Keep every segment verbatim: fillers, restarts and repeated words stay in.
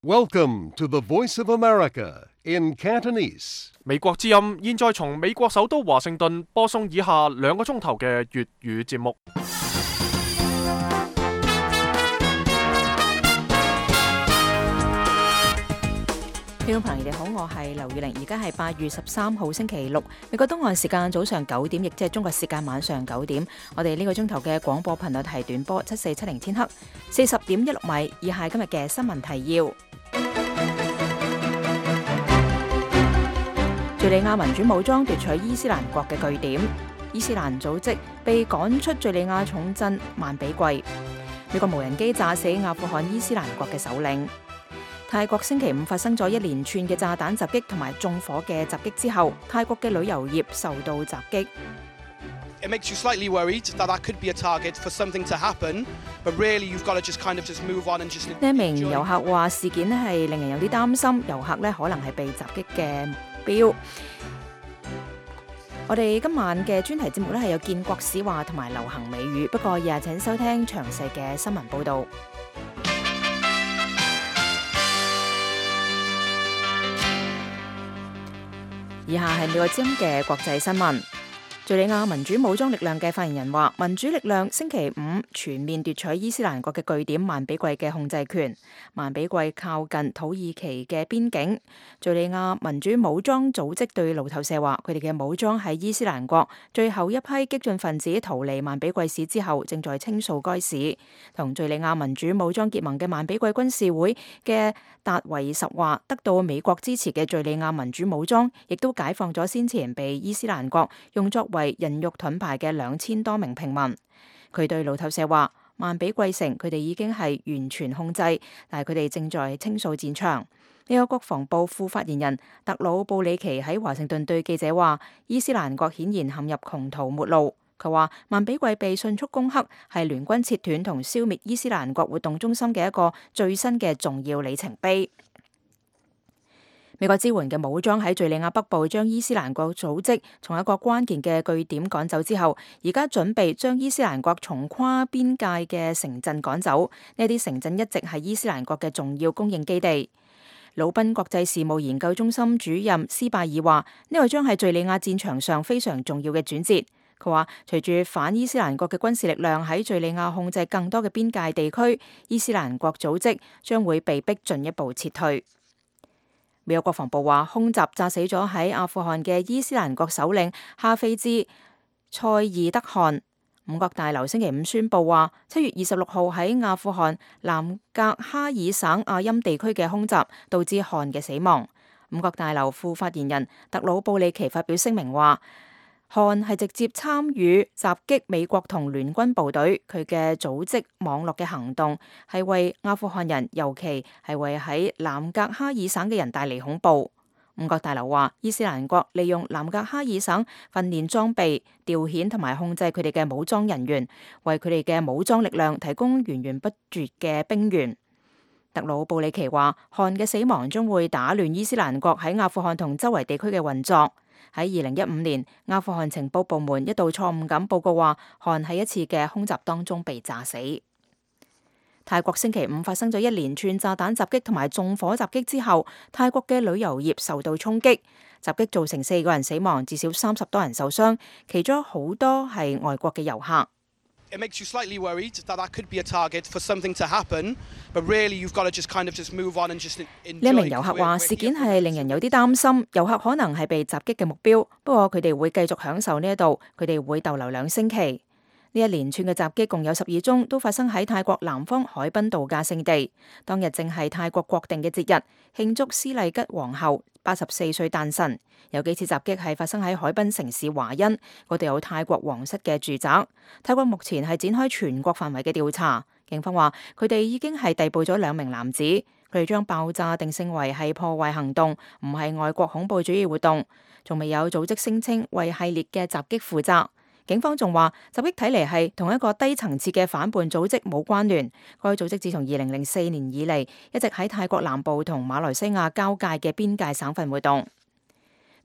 Welcome to the Voice of America in Cantonese. 美國之音現在從美國首都華盛頓播送以下兩個鐘頭嘅粵語節目。聽眾朋友，你哋好，我係劉宇玲，而家係八月十三號星期六，美國東岸時間早上九點，亦即係中國時間晚上九點。我哋呢個鐘頭嘅廣播頻率係短波七四七零千赫，四十點一六米。以下今日嘅新聞提要：敘利亞民主武裝奪取伊斯蘭國嘅據點，伊斯蘭組織被趕出敘利亞重鎮曼比季，美國無人機炸死阿富汗伊斯蘭國嘅首領。泰國星期五發生咗一連串嘅炸彈襲擊同埋縱火嘅襲擊之後，泰國嘅旅遊業受到襲擊。It makes you slightly worried that that could be a target for something to happen, but really you've got to just kind of just move on and just. 呢一名遊客話事件咧係令人有啲擔心，遊客咧可能係被襲擊嘅目標。我哋今晚嘅專題節目咧係有建國史話同埋流行美語，不過日請收聽詳細嘅新聞報導。以下係美國之音嘅國際新聞。敘利亞民主武裝力量嘅發言人話，民主力量星期五全面奪取伊斯蘭國嘅據點曼比季嘅控制權。曼比季靠近土耳其嘅邊境。敘利亞民主武裝組織對路透社話，佢哋嘅武裝喺伊斯蘭國最後一批激進分子逃離曼比季市之後，正在清掃該市。同敘利亞民主武裝結盟嘅曼比季軍事會嘅達維什話，得到美國支持嘅敘利亞民主武裝亦都解放咗先前被伊斯蘭國用作為人肉盾牌嘅兩千多名平民。佢對路透社話，曼比季城佢哋已經係完全控制，但係佢哋正在清掃戰場。呢個國防部副發言人特魯布里奇喺華盛頓對記者話，伊斯蘭國顯然陷入窮途末路。佢話曼比季被迅速攻克係聯軍切斷同消滅伊斯蘭國活動中心嘅一個最新嘅重要里程碑。美國支援嘅武裝喺敘利亞北部將伊斯蘭國組織從一個關鍵嘅據點趕走之後，而家準備將伊斯蘭國從跨邊界嘅城鎮趕走。呢啲城鎮一直係伊斯蘭國嘅重要供應基地。魯賓國際事務研究中心主任斯拜爾話，呢個將係敘利亞戰場上非常重要嘅轉折。佢話，隨住反伊斯蘭國嘅軍事力量喺敘利亞控制更多嘅邊界地區，伊斯蘭國組織將會被逼進一步撤退。美國國防部話，空襲炸死咗喺阿富汗嘅伊斯蘭國首領哈菲茲塞爾德汗。五角大樓星期五宣布話，七月二十六號喺阿富汗南格哈爾省阿欽地區嘅空襲導致汗嘅死亡。五角大樓副發言人特魯布里奇發表聲明話，汗係直接參與襲擊美國同聯軍部隊，佢嘅組織網絡嘅行動係為阿富汗人，尤其係為喺南格哈爾省嘅人帶嚟恐怖。五角大樓話，伊斯蘭國利用南格哈爾省訓練裝備、調遣同埋控制佢哋嘅武裝人員，為佢哋嘅武裝力量提供源源不絕嘅兵源。特魯布里奇話，汗嘅死亡將會打亂伊斯蘭國喺阿富汗同周圍地區嘅運作。喺二零一五年，阿富汗情報部門一度錯誤咁報告話，汗喺一次嘅空襲當中被炸死。泰國星期五發生咗一連串炸彈襲擊同埋縱火襲擊之後，泰國嘅旅遊業受到衝擊，襲擊造成四個人死亡，至少三十多人受傷，其中好多係外國嘅遊客。It makes you slightly worried that that could be a target for something to happen, but really you've got to just kind of just move on and just enjoy. 呢一名遊客話，事件係令人有啲擔心，遊客可能係被襲擊嘅目標，不過佢哋會繼續享受呢一度，佢哋會逗留兩星期。呢一連串嘅襲擊共有十二宗，都發生喺泰國南方海濱度假勝地。當日正係泰國國定嘅節日，慶祝斯麗吉皇后八十四歲誕辰。有幾次襲擊係發生喺海濱城市華欣，嗰度有泰國皇室嘅住宅。泰國目前係展開全國範圍嘅調查。警方話佢哋已經係逮捕咗兩名男子，佢哋將爆炸定性為係破壞行動，唔係外國恐怖主義活動。仲未有組織聲稱為系列嘅襲擊負責。警方仲話襲擊睇嚟係同一個低層次嘅反叛組織冇關聯。該組織自從二零零四年以嚟一直喺泰國南部同馬來西亞交界嘅邊界省份活動。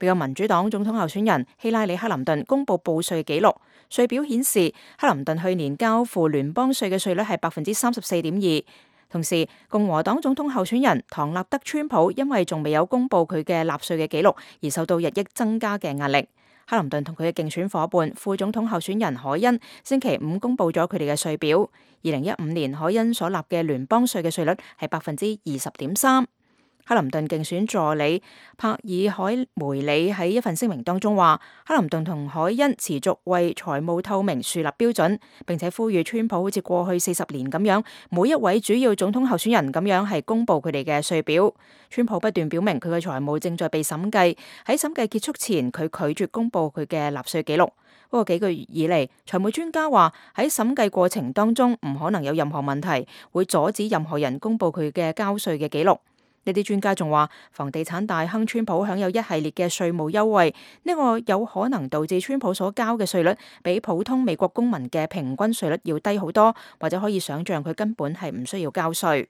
美國民主黨總統候選人希拉里克林頓公布報稅記錄，稅表顯示克林頓去年交付聯邦稅嘅稅率係百分之三十四點二，同時，共和黨總統候選人唐納德·川普因為仲未有公布佢嘅納稅嘅記錄，而受到日益增加嘅壓力。克林頓同佢嘅競選夥伴副總統候選人凱恩星期五公布咗佢哋嘅稅表。二零一五年凱恩所納嘅聯邦稅嘅稅率係百分之二十點三。克林頓競選助理帕爾凱梅里喺一份聲明當中話，克林頓同凱恩持續為財務透明樹立標準，並且呼籲川普好似過去四十年咁樣，每一位主要總統候選人咁樣係公布佢哋嘅稅表。川普不斷表明佢嘅財務正在被審計，喺審計結束前佢拒絕公布佢嘅納稅記錄。不過幾個月以嚟，財務專家話喺審計過程當中唔可能有任何問題，會阻止任何人公布佢嘅交稅嘅記錄。呢啲專家仲話，房地產大亨川普享有一系列嘅稅務優惠，呢個有可能導致川普所交嘅稅率比普通美國公民嘅平均稅率要低好多，或者可以想象佢根本係唔需要交稅。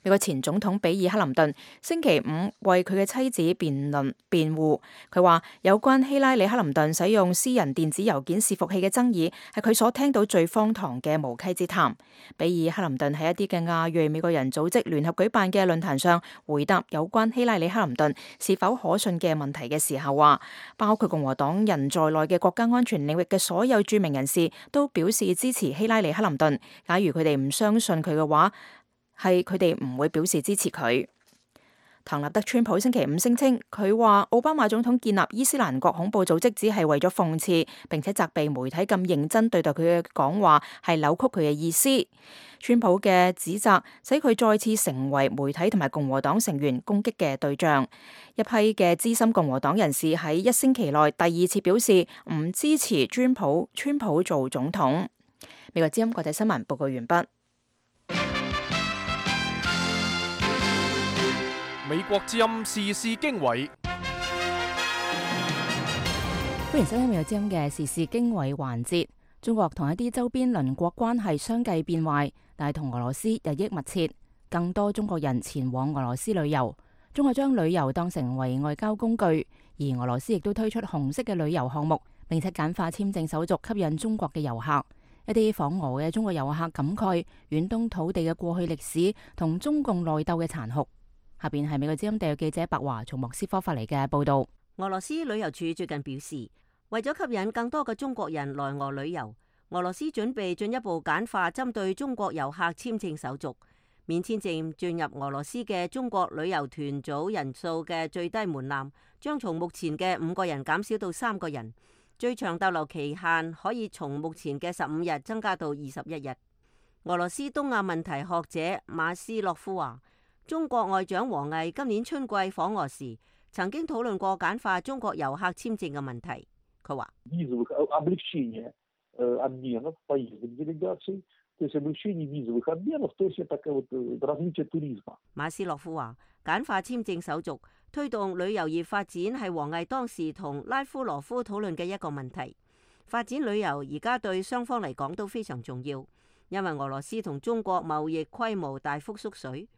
美國前總統比爾·克林頓星期五為佢嘅妻子辯論辯護，佢話有關希拉里·克林頓使用私人電子郵件伺服器嘅爭議係佢所聽到最荒唐嘅無稽之談。比爾·克林頓喺一啲嘅亞裔美國人組織聯合舉辦嘅論壇上回答有關希拉里·克林頓是否可信嘅問題嘅時候話，包括共和黨人在內嘅國家安全領域嘅所有著名人士都表示支持希拉里·克林頓。假如佢哋唔相信佢嘅話，係佢哋唔會表示支持佢。唐納德·川普星期五聲稱，佢話奧巴馬總統建立伊斯蘭國恐怖組織只係為咗諷刺，並且責備媒體咁認真對待佢嘅講話係扭曲佢嘅意思。川普嘅指責使佢再次成為媒體同埋共和黨成員攻擊嘅對象。一批嘅資深共和黨人士喺一星期內第二次表示唔支持川普川普做總統。美國之音國際新聞報告完畢。美國之音時事經緯，歡迎收聽美國之音嘅時事經緯環節。中國同一啲周邊鄰國關係相繼變壞，但係同俄羅斯日益密切，更多中國人前往俄羅斯旅遊。中國將旅遊當成為外交工具，而俄羅斯亦都推出紅色嘅旅遊項目，並且簡化簽證手續，吸引中國嘅遊客。一啲訪俄嘅中國遊客感慨遠東土地嘅過去歷史同中共內鬥嘅殘酷。下邊係美國之音特約記者白華從莫斯科發嚟嘅報道。俄羅斯旅遊處最近表示，為咗吸引更多嘅中國人來俄旅遊，俄羅斯準備進一步簡化針對中國遊客簽證手續，免簽證進入俄羅斯嘅中國旅遊團組人數嘅最低門檻將從目前嘅五個人減少到三個人，最長逗留期限可以從目前嘅十五日增加到二十一日。俄羅斯東亞問題學者馬斯洛夫話，中國外長王毅今年春季訪俄時，曾經討論過簡化中國遊客簽證嘅問題。佢話：馬斯洛夫話，簡化簽證手續，推動旅遊業發展係王毅當時同拉夫羅夫討論嘅一個問題。發展旅遊而家對雙方嚟講都非常重要，因為俄羅斯同中國貿易規模大幅縮水。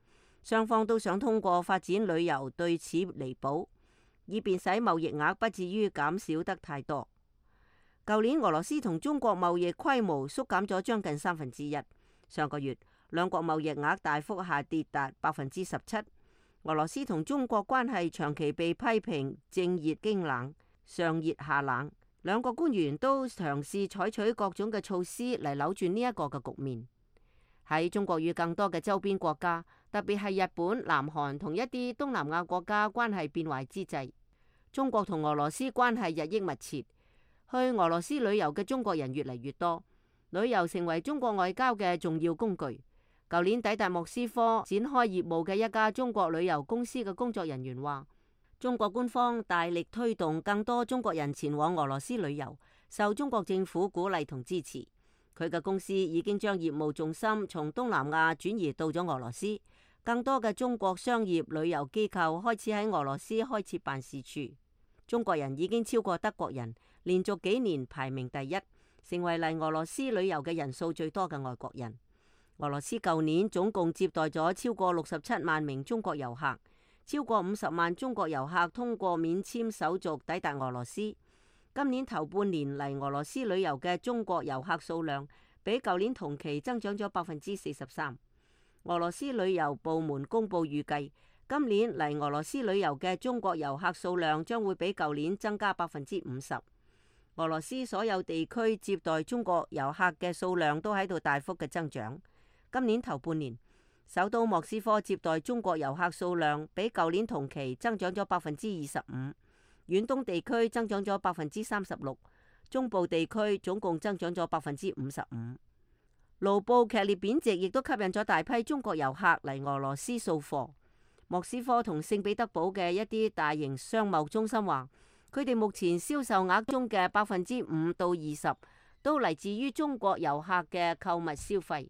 雙方都想通過發展旅遊對此彌補，以便使貿易額不至於減少得太多。舊年俄羅斯同中國貿易規模縮減咗將近三分之一，上個月兩國貿易額大幅下跌達百分之十七。俄羅斯同中國關係長期被批評正熱經冷，上熱下冷，兩國官員都嘗試採取各種嘅措施嚟扭轉呢一個嘅局面。喺中國與更多嘅周邊國家，特別係日本、南韓同一啲東南亞國家關係變壞之際，中國同俄羅斯關係日益密切，去俄羅斯旅遊嘅中國人越嚟越多，旅遊成為中國外交嘅重要工具。舊年抵達莫斯科展開業務嘅一家中國旅遊公司嘅工作人員話，中國官方大力推動更多中國人前往俄羅斯旅遊，受中國政府鼓勵同支持。佢嘅公司已經將業務重心從東南亞轉移到咗俄羅斯，更多嘅中國商業旅遊機構開始喺俄羅斯開設辦事處。中國人已經超過德國人，連續幾年排名第一，成為嚟俄羅斯旅遊嘅人數最多嘅外國人。俄羅斯舊年總共接待咗超過六十七萬名中國遊客，超過五十萬中國遊客通過免簽手續抵達俄羅斯。今年頭半年嚟俄羅斯旅遊嘅中國遊客數量比舊年同期增長咗百分之四十三。俄羅斯旅遊部門公佈預計，今年嚟俄羅斯旅遊嘅中國遊客數量將會比舊年增加百分之五十。俄羅斯所有地區接待中國遊客嘅數量都喺度大幅嘅增長。今年頭半年，首都莫斯科接待中國遊客數量比舊年同期增長咗百分之二十五，遠東地區增長咗百分之三十六，中部地區總共增長咗百分之五十五。盧布劇烈貶值亦都吸引咗大批中國遊客嚟俄羅斯掃貨。莫斯科同聖彼得堡嘅一啲大型商貿中心話，佢哋目前銷售額中嘅百分之五到二十都嚟自於中國遊客嘅購物消費。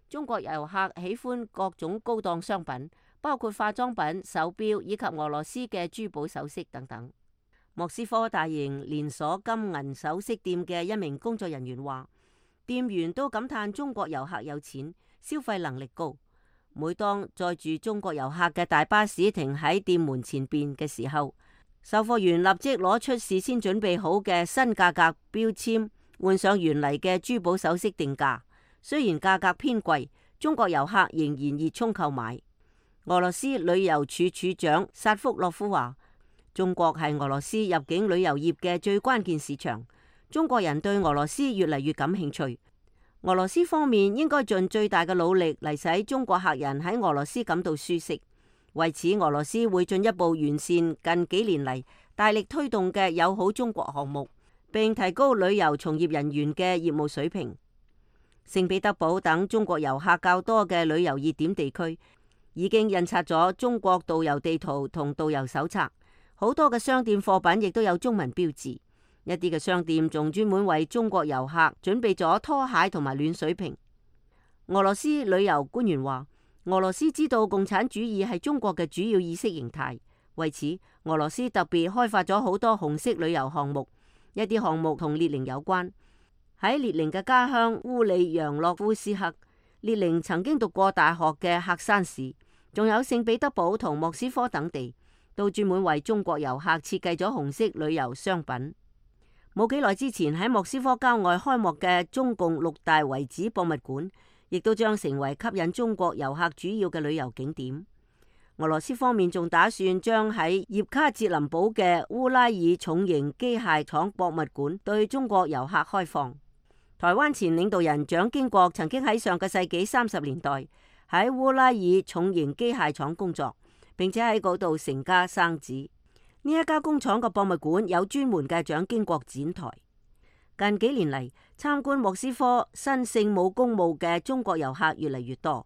中國遊客喜歡各種高檔商品，包括化妝品、手錶以及俄羅斯嘅珠寶首飾等等。莫斯科大型連鎖金銀首飾店嘅一名工作人員話，店員都感嘆中國遊客有錢，消費能力高。每當載住中國遊客嘅大巴士停喺店門前邊嘅時候，售貨員立即攞出事先準備好嘅新價格標籤，換上原嚟嘅珠寶首飾定價。雖然價格偏貴，中國遊客仍然熱衷購買。俄羅斯旅遊處處長薩福洛夫話，中國係俄羅斯入境旅遊業嘅最關鍵市場，中國人對俄羅斯越嚟越感興趣。俄羅斯方面應該盡最大嘅努力嚟使中國客人喺俄羅斯感到舒適。為此，俄羅斯會進一步完善近幾年嚟大力推動嘅友好中國項目，並提高旅遊從業人員嘅業務水平。聖彼得堡等中國遊客較多嘅旅遊熱點地區已經印刷咗中國導遊地圖同導遊手冊，好多嘅商店貨品亦都有中文標誌，一啲嘅商店仲專門為中國遊客準備咗拖鞋同埋暖水瓶。俄羅斯旅遊官員話，俄羅斯知道共產主義係中國嘅主要意識形態，為此俄羅斯特別開發咗好多紅色旅遊項目，一啲項目同列寧有關。喺列寧嘅家鄉烏里揚洛夫斯克，列寧曾經讀過大學嘅喀山市，仲有聖彼得堡同莫斯科等地，都專門為中國遊客設計咗紅色旅遊商品。冇幾耐之前喺莫斯科郊外開幕嘅中共六大遺址博物館，亦都將成為吸引中國遊客主要嘅旅遊景點。俄羅斯方面仲打算將喺葉卡捷林堡嘅烏拉爾重型機械廠博物館對中國遊客開放。台灣前領導人蔣經國曾經喺上個世紀三十年代喺烏拉爾重型機械廠工作，並且喺嗰度成家生子。呢一家工廠嘅博物館有專門嘅蔣經國展台。近幾年嚟，參觀莫斯科新聖母公墓嘅中國遊客越嚟越多。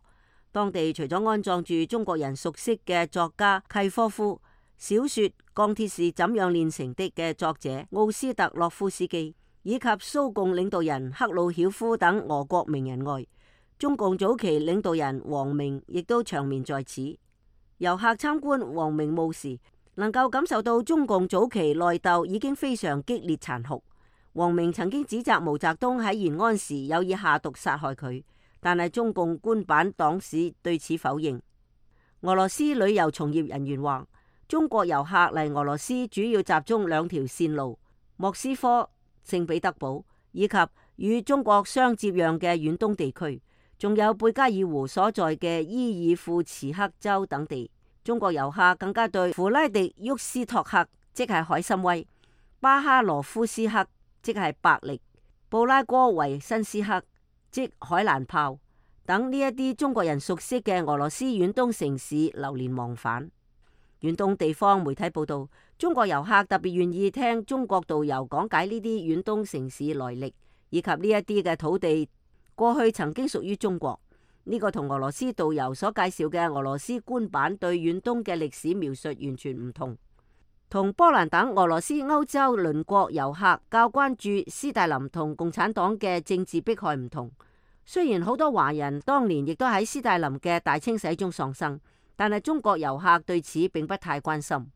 當地除咗安葬住中國人熟悉嘅作家契科夫、小說《鋼鐵是怎樣煉成的》嘅作者奧斯特洛夫斯基，以及蘇共領導人赫魯曉夫等俄國名人外，中共早期領導人王明亦都長眠在此。遊客參觀王明墓時，能夠感受到中共早期內鬥已經非常激烈殘酷。王明曾經指責毛澤東喺延安時有意下毒殺害佢，但係中共官版黨史對此否認。俄羅斯旅遊從業人員話，中國遊客嚟俄羅斯主要集中兩條線路：莫斯科、聖彼得堡以及與中國相接壤嘅遠東地區，仲有貝加爾湖所在嘅伊爾庫茨克州等地。中國遊客更加對弗拉迪沃斯托克，即係海參崴、巴哈羅夫斯克，即係百力、布拉戈維申斯克，即海蘭泡等呢一啲中國人熟悉嘅俄羅斯遠東城市流連忘返。遠東地方媒體報道，中國遊客特別願意聽中國導遊講解呢啲遠東城市來歷，以及呢一啲嘅土地過去曾經屬於中國。呢個同俄羅斯導遊所介紹嘅俄羅斯官版對遠東嘅歷史描述完全唔同。同波蘭等俄羅斯歐洲鄰國遊客較關注斯大林同共產黨嘅政治迫害唔同。雖然好多華人當年亦都喺斯大林嘅大清洗中喪生，但係中國遊客對此並不太關心。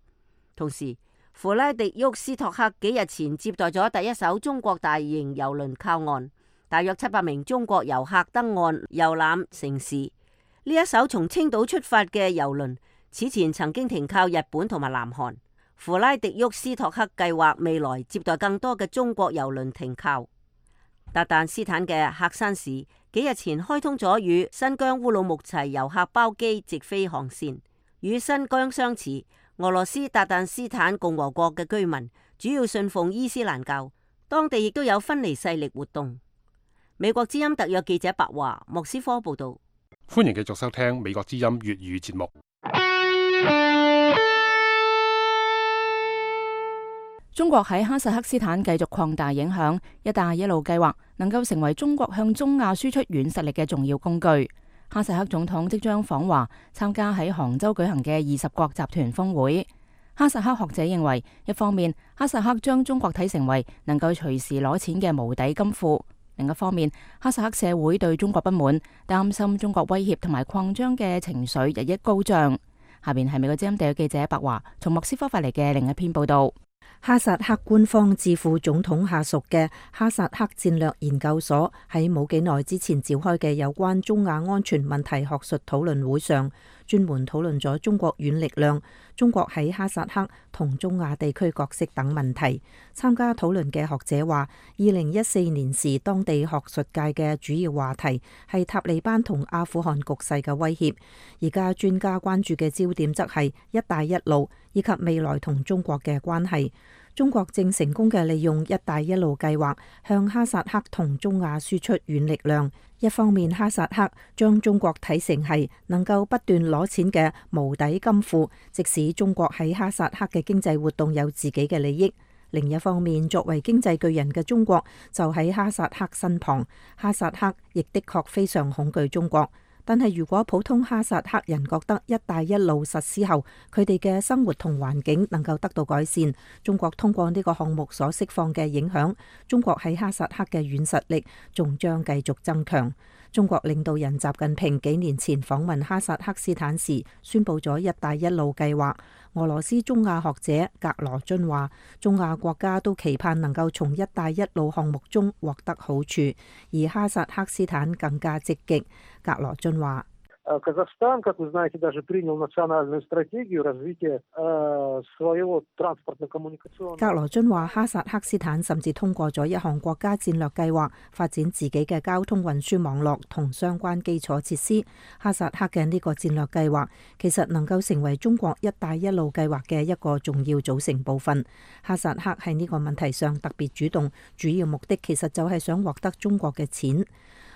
同時，弗拉迪沃斯托克幾日前接待咗第一艘中國大型郵輪靠岸，大約七百名中國遊客登岸遊覽城市。呢一艘從青島出發嘅郵輪，此前曾經停靠日本同埋南韓。弗拉迪沃斯托克計劃未來接待更多嘅中國郵輪停靠。達旦斯坦嘅喀山市幾日前開通咗與新疆烏魯木齊遊客包機直飛航線。與新疆相似，俄羅斯達旦斯坦共和國嘅居民主要信奉伊斯蘭教，當地亦都有分離勢力活動。美國之音特約記者白華莫斯科報道。歡迎繼續收聽美國之音粵語節目。中國喺哈薩克斯坦繼續擴大影響，一帶一路計劃能夠成為中國向中亞輸出軟實力嘅重要工具。哈薩克總統即將訪華，參加喺杭州舉行嘅二十國集團峰會。哈薩克學者認為，一方面哈薩克將中國睇成為能夠隨時攞錢嘅無底金庫，另一方面哈薩克社會對中國不滿，擔心中國威脅同埋擴張嘅情緒日益高漲。下邊係美國之音特約記者白華從莫斯科發嚟嘅另一篇報道。哈薩克官方智庫總統下屬嘅哈薩克戰略研究所喺冇幾耐之前召開嘅有關中亞安全問題學術討論會上，專門討論咗中國軟力量、中國喺哈薩克同中亞地區角色等問題。參加討論嘅學者話，二零一四年時當地學術界嘅主要話題係塔利班同阿富汗局勢嘅威脅，而家專家關注嘅焦點則係一帶一路以及未來同中國嘅關係。中國正成功嘅利用一帶一路計劃向哈薩克同中亞輸出軟力量。一方面，哈薩克將中國睇成係能夠不斷攞錢嘅無底金庫，即使中國喺哈薩克嘅經濟活動有自己嘅利益。另一方面，作為經濟巨人嘅中國就喺哈薩克身旁，哈薩克亦的確非常恐懼中國。但係如果普通哈薩克人覺得一帶一路實施後，佢哋嘅生活同環境能夠得到改善，中國通過呢個項目所釋放嘅影響，中國喺哈薩克嘅軟實力仲將繼續增強。中國領導人習近平幾年前訪問哈薩克斯坦時，宣布咗一帶一路計劃。俄羅斯中亞學者格羅津話，中亞國家都期盼能夠從一帶一路項目中獲得好處，而哈薩克斯坦更加積極。格羅津話，Казахстан, как вы знаете, даже принял национальную стратегию развития своего транспортно-коммуникационного。格羅津話，哈薩克斯坦甚至通過咗一項國家戰略計劃，發展自己嘅交通運輸網絡同相關基礎設施。哈薩克嘅呢個戰略計劃其實能夠成為中國一帶一路計劃嘅一個重要組成部分。哈薩克喺呢個問題上特別主動，主要目的其實就係想獲得中國嘅錢。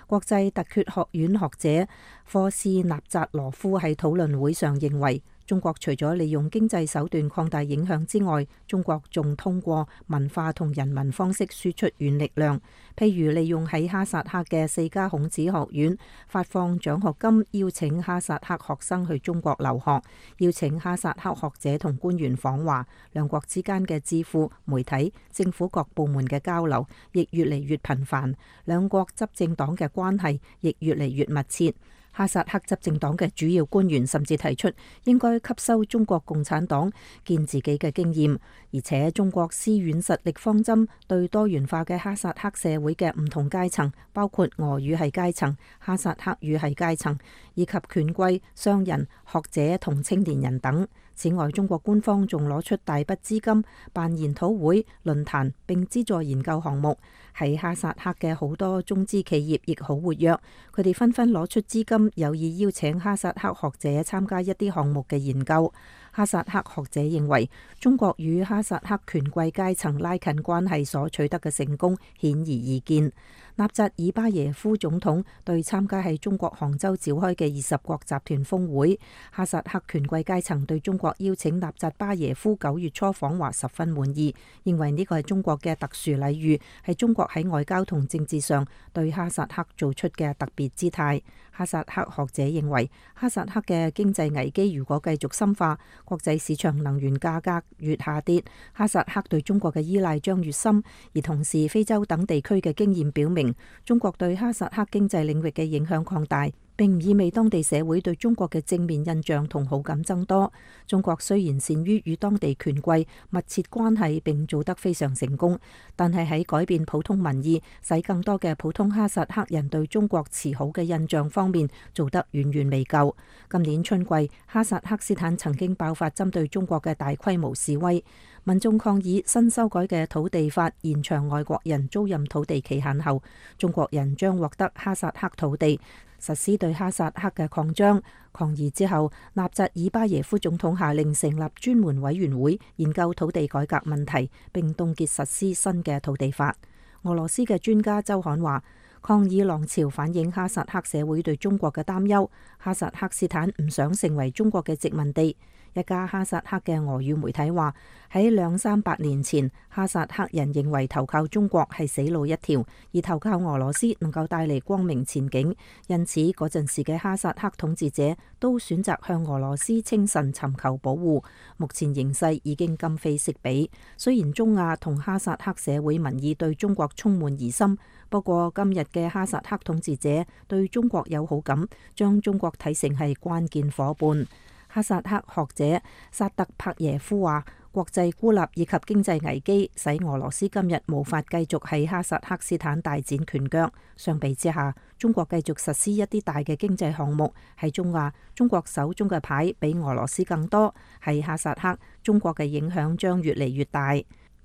國際特厥學院學者科斯納扎羅夫喺討論會上認為，中國除咗利用經濟手段擴大影響之外，中國仲通過文化同人文方式輸出軟力量，譬如利用喺哈薩克嘅四家孔子學院發放獎學金，邀請哈薩克學生去中國留學，邀請哈薩克學者同官員訪華，兩國之間嘅智庫、媒體、政府各部門嘅交流亦越嚟越頻繁，兩國執政黨嘅關係亦越嚟越密切。哈薩克執政黨嘅主要官員甚至提出應該吸收中國共產黨建自己嘅經驗，而且中國施軟實力方針對多元化嘅哈薩克社會嘅唔同階層，包括俄語系階層、哈薩克語系階層，以及權貴、商人、學者同青年人等。此外，中國官方仲攞出大筆資金辦研討會、論壇，並資助研究項目。喺哈薩克嘅好多中資企業亦好活躍，佢哋紛紛攞出資金，有意邀請哈薩克學者參加一啲項目嘅研究。哈薩克學者認為，中國與哈薩克權貴階層拉近關係所取得嘅成功顯而易見。納扎爾巴耶夫總統對參加喺中國杭州召開嘅二十國集團峰會，哈薩克權貴階層對中國邀請納扎巴耶夫九月初訪華十分滿意，認為呢個係中國嘅特殊禮遇，係中國喺外交同政治上對哈薩克做出嘅特別姿態。哈薩克學者認為，哈薩克嘅經濟危機如果繼續深化，國際市場能源價格越下跌，哈薩克對中國嘅依賴將越深。而同時，非洲等地區嘅經驗表明，中國對哈薩克經濟領域嘅影響擴大，並唔意味當地社會對中國嘅正面印象同好感增多。中國雖然善於與當地權貴密切關係並做得非常成功，但係喺改變普通民意，使更多嘅普通哈薩克人對中國持好嘅印象方面做得遠遠未夠。今年春季，哈薩克斯坦曾經爆發針對中國嘅大規模示威，民眾抗議新修改嘅土地法延長外國人租賃土地期限後，中國人將獲得哈薩克土地，實施對哈薩克嘅擴張。抗議之後，納扎爾巴耶夫總統下令成立專門委員會研究土地改革問題，並凍結實施新嘅土地法。俄羅斯嘅專家周刊話，抗議浪潮反映哈薩克社會對中國嘅擔憂，哈薩克斯坦唔想成為中國嘅殖民地。一家哈薩克嘅俄語媒體話，喺兩三百年前，哈薩克人認為投靠中國係死路一條，而投靠俄羅斯能夠帶嚟光明前景，因此嗰陣時嘅哈薩克統治者都選擇向俄羅斯稱臣尋求保護。目前形勢已經今非昔比，雖然中亞同哈薩克社會民意對中國充滿疑心，不過今日嘅哈薩克統治者對中國有好感，將中國睇成係關鍵夥伴。哈薩克學者薩特帕耶夫話，國際孤立以及經濟危機使俄羅斯今日無法繼續喺哈薩克斯坦大展拳腳。相比之下，中國繼續實施一啲大嘅經濟項目。喺中亞，中國手中嘅牌比俄羅斯更多。喺哈薩克，中國嘅影響將越嚟越大。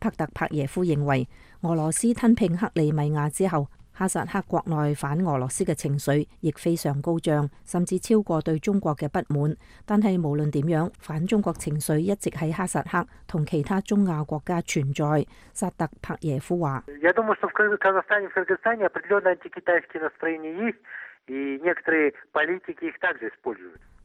帕特帕耶夫認為，俄羅斯吞併克里米亞之後，哈薩克國內反俄羅斯嘅情緒亦非常高漲，甚至超過對中國嘅不滿。但係無論點樣，反中國情緒一直喺哈薩克同其他中亞國家存在。薩特帕耶夫話：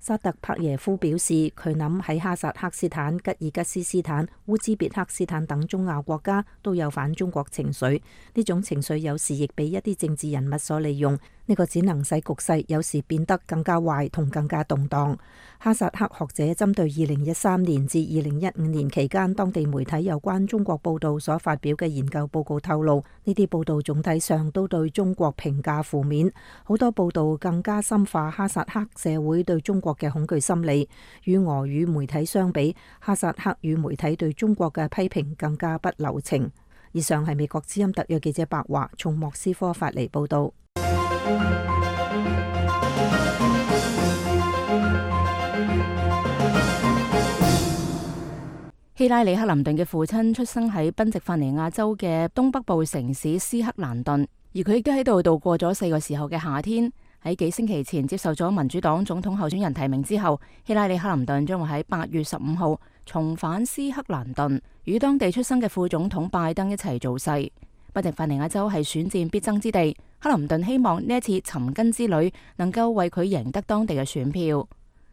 薩特帕耶夫表示，佢諗喺哈薩克斯坦、吉爾吉斯斯坦、烏茲別克斯坦等中亞國家都有反中國情緒，呢種情緒有時亦被一啲政治人物所利用，呢個只能使局勢有時變得更加壞同更加動盪。哈薩克學者針對二零一三年至二零一五年期間當地媒體有關中國報道所發表嘅研究報告透露，呢啲報道總體上都對中國評價負面，好多報道更加深化哈薩克社會對中國嘅恐懼心理。與俄語媒體相比，哈薩克語媒體對中國嘅批評更加不留情。以上係美國之音特約記者白華從莫斯科發嚟報道。希拉里克林頓嘅父親出生喺賓夕法尼亞州嘅東北部城市斯克蘭頓，而佢亦都喺度度過咗四個時候嘅夏天。喺幾星期前接受咗民主黨總統候選人提名之後，希拉里克林頓將會喺八月十五號重返斯克蘭頓，與當地出生嘅副總統拜登一齊造勢。賓夕法尼亞州係選戰必爭之地，克林頓希望呢一次尋根之旅能夠為佢贏得當地嘅選票。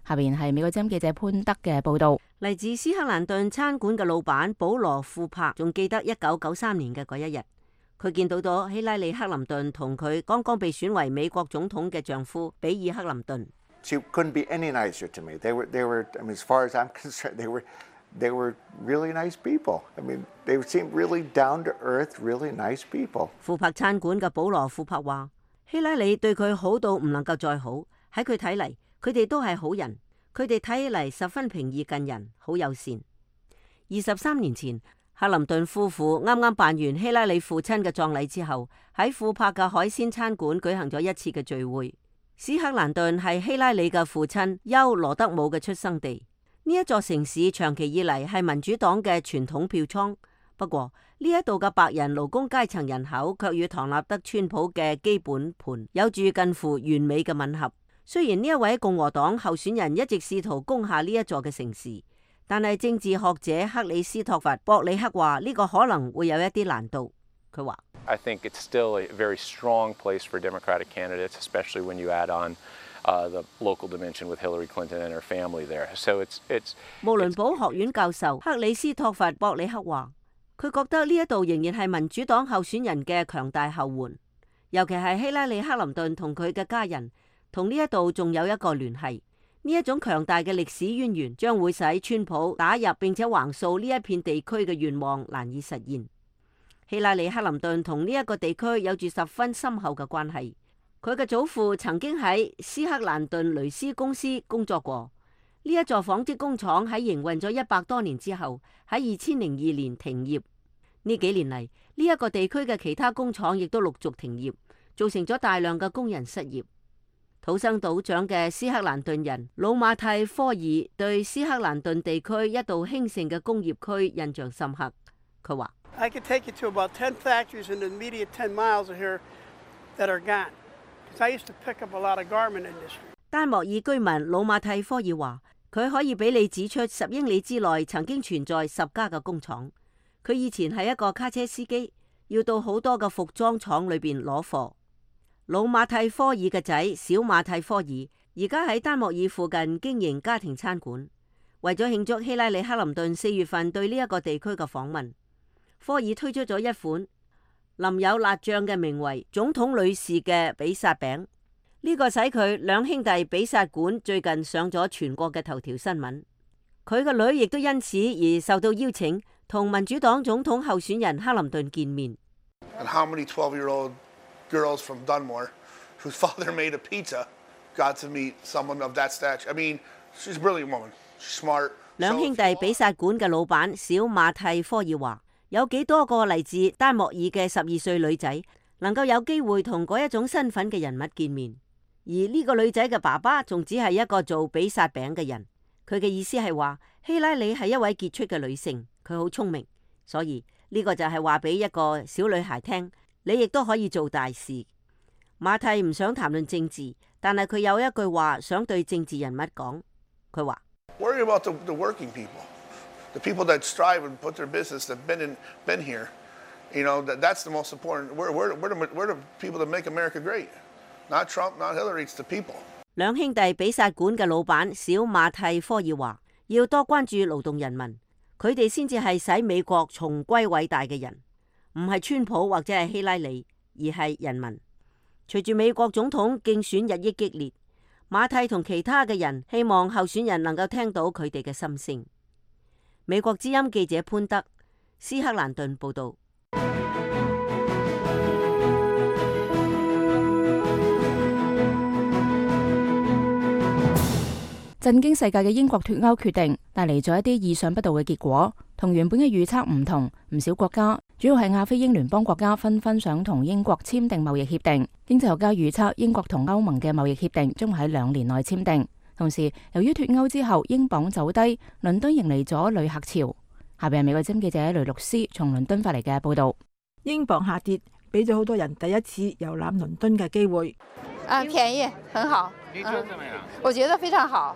下邊係美國之音記者潘德嘅報道。嚟自斯克蘭頓餐館嘅老闆保羅庫珀仲記得一九九三年嘅嗰一日，佢見到咗希拉里克林頓同佢剛剛被選為美國總統嘅丈夫比爾克林頓。She couldn't be any nicer to me. They were, they were, I mean, as far as I'm concerned, they were, they were really nice people. I mean, they seemed really down to earth, really nice people. 庫珀餐館嘅保羅庫珀話，希拉里對佢好到唔能夠再好。喺佢睇嚟，佢哋都係好人。佢哋睇起嚟十分平易近人，好友善。二十三年前，克林頓夫婦啱啱辦完希拉里父親嘅葬禮之後，喺庫珀嘅海鮮餐館舉行咗一次嘅聚會。斯克蘭頓係希拉里嘅父親休羅德姆嘅出生地。呢一座城市長期以嚟係民主黨嘅傳統票倉，不過呢一度嘅白人勞工階層人口卻與唐納德川普嘅基本盤有住近乎完美嘅吻合。雖然呢一位共和黨候選人一直試圖攻下呢一座嘅城市，但係政治學者克里斯托弗博里克話呢個可能會有一啲難度。佢話I think it's still a very strong place for Democratic candidates, especially when you add on uh, the local dimension with Hillary Clinton and her family there. So it's it's 慕倫堡學院教授克里斯托弗博里克話，佢覺得呢一度仍然係民主黨候選人嘅強大後援，尤其係希拉里克林頓同佢嘅家人。同呢一度仲有一個聯繫，呢一種強大嘅歷史淵源將會使川普打入並且橫掃呢一片地區嘅願望難以實現。希拉里克林頓同呢一個地區有住十分深厚嘅關係，佢嘅祖父曾經喺斯克蘭頓雷斯公司工作過。呢一座紡織工廠喺營運咗一百多年之後，喺二千零二年停業。呢幾年嚟，呢一個地區嘅其他工廠亦都陸續停業，造成咗大量嘅工人失業。土生土長嘅斯克蘭頓人魯馬蒂科爾對斯克蘭頓地區一度興盛嘅工業區印象深刻。佢話：I could take you to about ten factories in the immediate ten miles of here that are gone. Because I used to pick up a lot of garment industry. 丹莫爾居民魯馬蒂科爾話：佢可以俾你指出十英里之內曾經存在十家嘅工廠。佢以前係一個卡車司機，要到好多嘅服裝廠裏邊攞貨。魯馬蒂科爾嘅仔小馬蒂科爾而家喺丹莫爾附近經營家庭餐館。為咗慶祝希拉里克林頓四月份對呢一個地區嘅訪問，科爾推出咗一款淋有辣醬嘅名為總統女士嘅比薩餅。呢個使佢兩兄弟比薩館最近上咗全國嘅頭條新聞。佢個女亦都因此而受到邀請，同民主黨總統候選人克林頓見面。And how many twelve-year-old girls from Dunmore, whose father made a pizza, got to meet someone of that stature? I mean, she's a brilliant woman. She's smart. 兩兄弟比薩館嘅老闆小馬蒂科爾話：有幾多個嚟自丹莫爾嘅十二歲女仔能夠有機會同嗰一種身份嘅人物見面？而呢個女仔嘅爸爸仲只係一個做比薩餅嘅人。佢嘅意思係話希拉里係一位傑出嘅女性，佢好聰明，所以呢個就係話俾一個小女孩聽，你亦都可以做大事。馬蒂唔想談論政治，但係佢有一句話想對政治人物講。佢話：Worry about the, the working people, the people that strive and put their business, that been in, been here. You know, that that's the most important. We're we're we're the, we're the people that make America great. Not Trump, not Hillary, it's the people. 兩兄弟比薩館嘅老闆小馬蒂科爾話：要多關注勞動人民，佢哋先至係使美國重歸偉大嘅人，唔係川普或者係希拉里，而係人民。隨住美國總統競選日益激烈，馬蒂同其他嘅人希望候選人能夠聽到佢哋嘅心聲。美國之音記者潘德，斯克蘭頓報道。震驚世界嘅英國脫歐決定帶嚟咗一啲意想不到嘅結果，同原本嘅預測唔同。唔少國家，主要係亞非英聯邦國家，紛紛想同英國簽訂貿易協定。經濟學家預測，英國同歐盟嘅貿易協定將會喺兩年內簽訂。同時，由於脫歐之後英鎊走低，倫敦迎嚟咗旅客潮。下邊係美國之音記者雷律師從倫敦發嚟嘅報道。英鎊下跌，俾咗好多人第一次遊覽倫敦嘅機會。啊，便宜，很好。你覺得怎麼樣？我覺得非常好。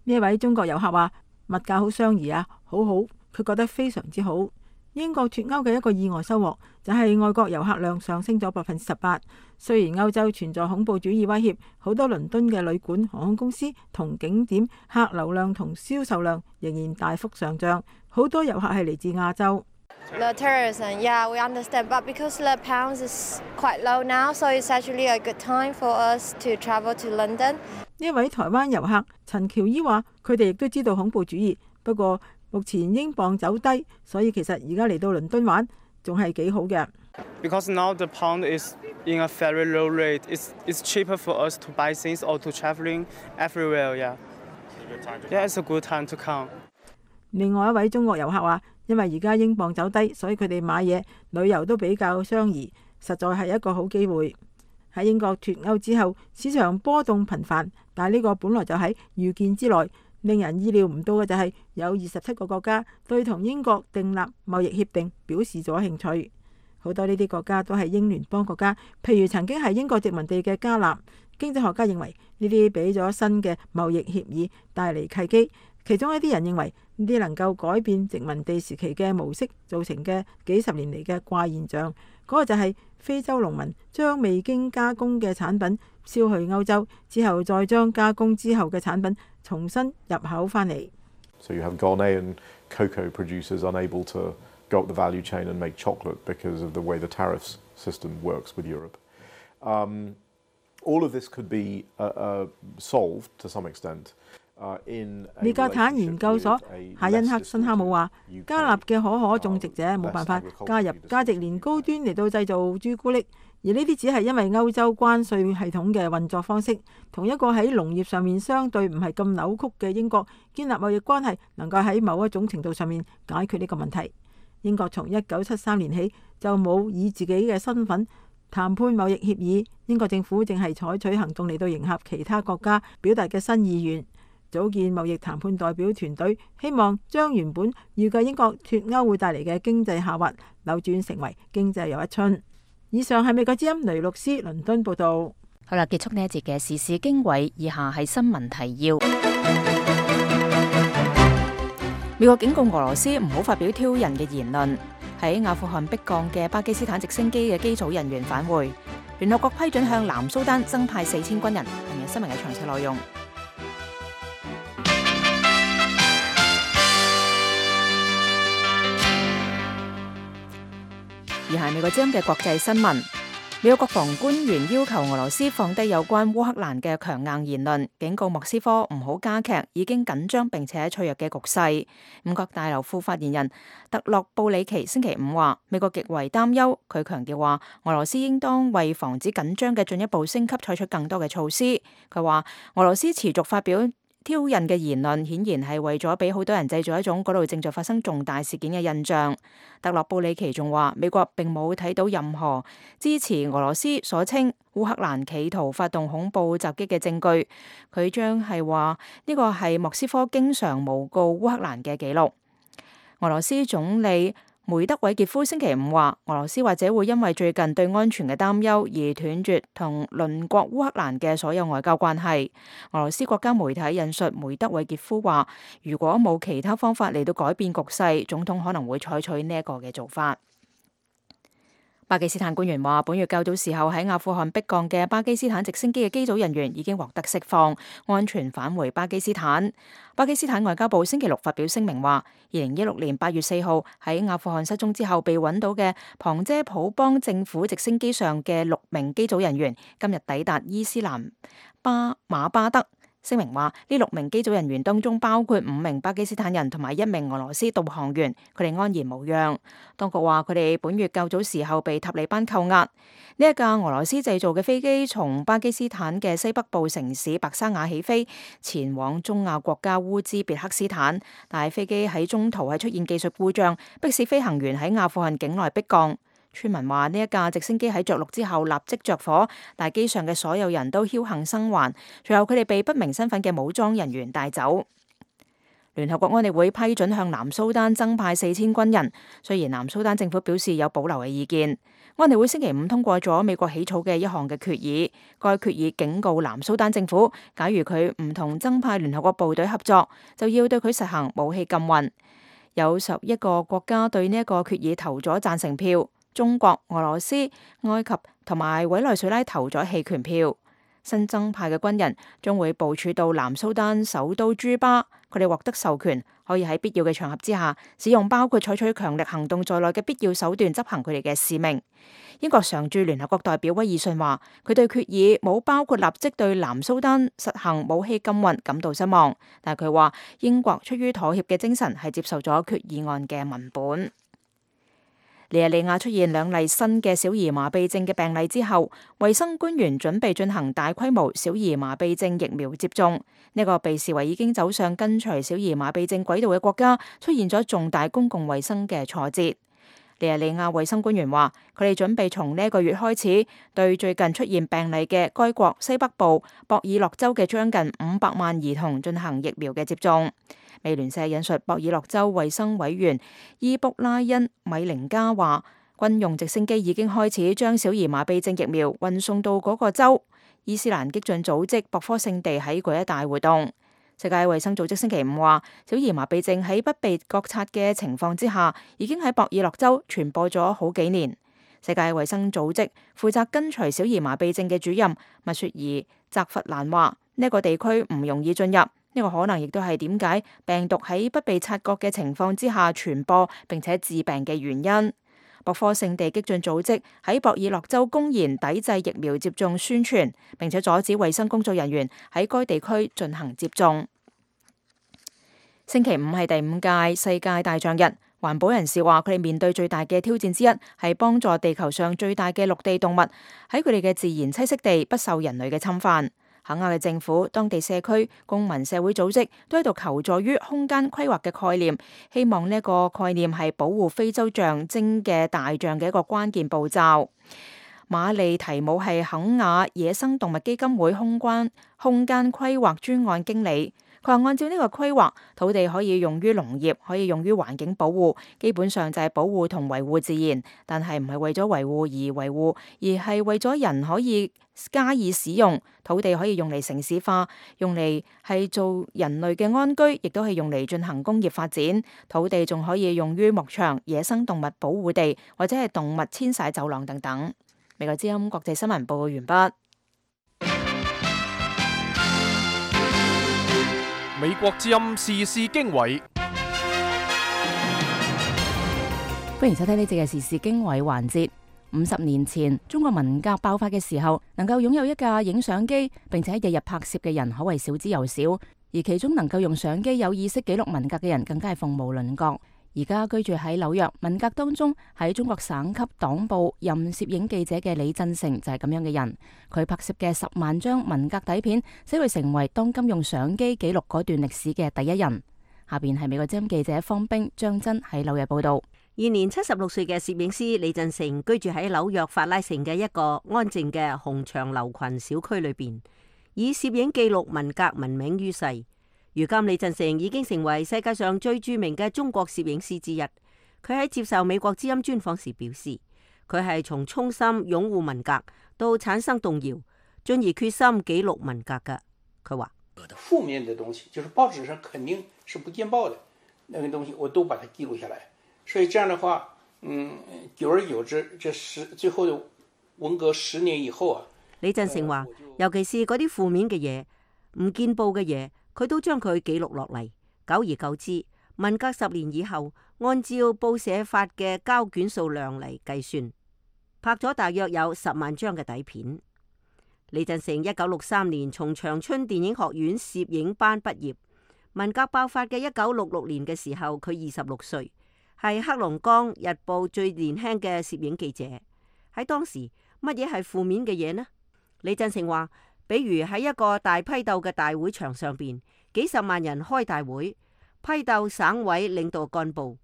呢一位中國遊客話：物價好相宜啊，好好，佢覺得非常之好。英國脫歐嘅一個意外收穫就係外國遊客量上升咗百分之十八。雖然歐洲存在恐怖主義威脅，好多倫敦嘅旅館、航空公司同景點客流量同銷售量仍然大幅上漲。好多遊客係嚟自亞洲。The tourism, yeah, we understand, but because the pound is quite low now, so it's actually a good time for us to travel to London. 呢位台灣遊客陳喬伊話：佢哋亦都知道恐怖主義，不過目前英鎊走低，所以其實而家嚟到倫敦玩仲係幾好嘅。Because now the pound is in a very low rate, it's it's cheaper for us to buy things or to traveling everywhere. Yeah, yeah, it's a good time to come. 另外一位中國遊客話：因為而家英鎊走低，所以佢哋買嘢、旅遊都比較相宜，實在係一個好機會。喺英國脫歐之後，市場波動頻繁，但係呢個本來就喺預見之內。令人意料唔到嘅就係有二十七個國家對同英國訂立貿易協定表示咗興趣。好多呢啲國家都係英聯邦國家，譬如曾經係英國殖民地嘅加納。經濟學家認為呢啲俾咗新嘅貿易協議帶嚟契機。其中一啲人認為呢啲能夠改變殖民地時期嘅模式造成嘅幾十年嚟嘅怪現象，嗰個就係非洲農民將未經加工嘅產品銷去歐洲之後，再將加工之後嘅產品重新入口翻嚟。So you have Ghanaian cocoa producers unable to go up the value chain and make chocolate because of the way the tariff system works with Europe. Um, all of this could be uh, uh, solved to some extent.利格坦研究所夏恩克辛哈姆話：加納嘅可可種植者冇辦法加入價值連高端嚟到製造朱古力，而呢啲只係因為歐洲關稅系統嘅運作方式，同一個喺農業上面相對唔係咁扭曲嘅英國建立貿易關係，能夠喺某一種程度上面解決呢個問題。英國從一九七三年起就冇以自己嘅身份談判貿易協議，英國政府正係採取行動嚟到迎合其他國家表達嘅新意願，組建貿易談判代表團隊，希望將原本預計英國脫歐會帶嚟嘅經濟下滑扭轉成為經濟又一春。以上係美國之音雷律師倫敦報道。好啦，結束呢一節嘅時事經緯，以下係新聞提要。美國警告俄羅斯唔好發表挑釁嘅言論。喺阿富汗迫降嘅巴基斯坦直升機嘅機組人員返回。聯合國批准向南蘇丹增派四千軍人。今日新聞嘅詳細內容。而係美國之音嘅國際新聞。美國國防官員要求俄羅斯放低有關烏克蘭嘅強硬言論，警告莫斯科唔好加劇已經緊張並且脆弱嘅局勢。五角大樓副發言人特洛布里奇星期五話，美國極為擔憂。佢強調話，俄羅斯應當為防止緊張嘅進一步升級採取更多嘅措施。佢話，俄羅斯持續發表挑釁嘅言論，顯然係為咗俾好多人製造一種嗰度正在發生重大事件嘅印象。特洛布里奇仲話，美國並冇睇到任何支持俄羅斯所稱烏克蘭企圖發動恐怖襲擊嘅證據。佢將係話呢個係莫斯科經常誣告烏克蘭嘅記錄。俄羅斯總理梅德韋傑夫星期五話，俄羅斯或者會因為最近對安全嘅擔憂而斷絕同鄰國烏克蘭嘅所有外交關係。俄羅斯國家媒體引述梅德韋傑夫話，如果冇其他方法嚟到改變局勢，總統可能會採取呢一個嘅做法。巴基斯坦官員話，本月較早時候喺阿富汗迫降嘅巴基斯坦直升機嘅機組人員已經獲得釋放，安全返回巴基斯坦。巴基斯坦外交部星期六發表聲明話，二零一六年八月四號喺阿富汗失蹤之後被揾到嘅旁遮普邦政府直升機上嘅六名機組人員，今日抵達伊斯蘭巴馬巴德。聲明話，呢六名機組人員當中包括五名巴基斯坦人同埋一名俄羅斯導航員，佢哋安然無恙。當局話佢哋本月較早時候被塔利班扣押。呢一架俄羅斯製造嘅飛機從巴基斯坦嘅西北部城市白沙瓦起飛，前往中亞國家烏茲別克斯坦，但係飛機喺中途係出現技術故障，迫使飛行員喺阿富汗境內迫降。村民話呢一架直升機喺着陸之後立即着火，但係機上嘅所有人都僥倖生還，隨後佢哋被不明身份嘅武裝人員帶走。聯合國安理會批准向南蘇丹增派四千軍人，雖然南蘇丹政府表示有保留嘅意見。安理會星期五通過咗美國起草嘅一項嘅決議，該決議警告南蘇丹政府，假如佢唔同增派聯合國部隊合作，就要對佢實行武器禁運。有十一個國家對呢一個決議投咗贊成票。中國、俄羅斯、埃及同埋委內瑞拉投咗棄權票。新增派嘅軍人將會部署到南蘇丹首都朱巴，佢哋獲得授權，可以喺必要嘅場合之下，使用包括採取強力行動在內嘅必要手段執行佢哋嘅使命。英國常駐聯合國代表威爾遜話，佢對決議冇包括立即對南蘇丹實行武器禁運感到失望，但係佢話英國出於妥協嘅精神係接受咗決議案嘅文本。尼日利亞出現兩例新嘅小兒麻痹症嘅病例之後，衛生官員準備進行大規模小兒麻痹症疫苗接種。呢個被視為已經走上跟隨小兒麻痹症軌道嘅國家，出現咗重大公共衛生嘅挫折。尼日利亞衛生官員話，佢哋準備從呢一個月開始，對最近出現病例嘅該國西北部博爾諾州嘅將近五百萬兒童進行疫苗嘅接種。美聯社引述博爾諾州衛生委員伊卜拉恩米寧加話，軍用直升機已經開始將小兒麻痹症疫苗運送到嗰個州。伊斯蘭激進組織博科聖地喺嗰一帶活動。世界衛生組織星期五話，小兒麻痹症喺不被覺察嘅情況之下，已經喺博爾諾州傳播咗好幾年。世界衛生組織負責跟隨小兒麻痹症嘅主任密雪兒澤弗蘭話，呢個地區唔容易進入。呢個可能亦都係點解病毒喺不被察覺嘅情況之下傳播並且致病嘅原因。博科聖地激進組織喺博爾諾州公然抵制疫苗接種宣傳，並且阻止衛生工作人員喺該地區進行接種。星期五係第五屆世界大象日，環保人士話，佢哋面對最大嘅挑戰之一係幫助地球上最大嘅陸地動物喺佢哋嘅自然棲息地不受人類嘅侵犯。肯亞嘅政府、當地社區、公民社會組織都喺度求助於空間規劃嘅概念，希望呢個概念係保護非洲象徵嘅大象嘅一個關鍵步驟。馬利提姆係肯亞野生動物基金會空間空間規劃專案經理。佢話按照呢個規劃，土地可以用於農業，可以用於環境保護，基本上就係保護同維護自然，但係唔係為咗維護而維護，而係為咗人可以加以使用。土地可以用嚟城市化，用嚟係做人類嘅安居，亦都係用嚟進行工業發展。土地仲可以用於牧場、野生動物保護地，或者係動物遷徙走廊等等。美國之音國際新聞報告完畢。美國之音時事經緯，歡迎收聽呢節嘅時事經緯環節。五十年前，中國文革爆發嘅時候，能夠擁有一架影相機，並且日日拍攝嘅人可謂少之又少，而其中能夠用相機有意識記錄文革嘅人，更加係鳳毛麟角。而家居住喺紐約，文革當中喺中國省級黨報任攝影記者嘅李振成就係咁樣嘅人。佢拍攝嘅十萬張文革底片，使佢成為當今用相機記錄嗰段歷史嘅第一人。下邊係美國之音記者方冰、張真喺紐約報道。現年七十六歲嘅攝影師李振成居住喺紐約法拉盛嘅一個安靜嘅紅牆樓群小區裏邊，以攝影記錄文革聞名於世。如今李振成已經成為世界上最著名嘅中國攝影師之一。佢喺接受美國之音專訪時表示，佢係從衷心擁護文革到產生動搖，進而決心記錄文革嘅。佢話：負面的東西，就是報紙上肯定是不見報的，那個東西我都把它記錄下來。所以這樣的話，嗯，久而久之，這十最後的文革十年以後啊，李振成話，尤其是嗰啲負面嘅嘢、唔見報嘅嘢，佢都將佢記錄落嚟。久而久之，文革十年以後，按照報社發嘅膠卷數量嚟計算，拍咗大約有十萬張嘅底片。李振成一九六三年從長春電影學院攝影班畢業。文革爆發嘅一九六六年嘅時候，佢二十六歲，係黑龍江日報最年輕嘅攝影記者。喺當時，乜嘢係負面嘅嘢呢？李振成話，比如喺一個大批鬥嘅大會場上邊，幾十萬人開大會，批鬥省委領導幹部。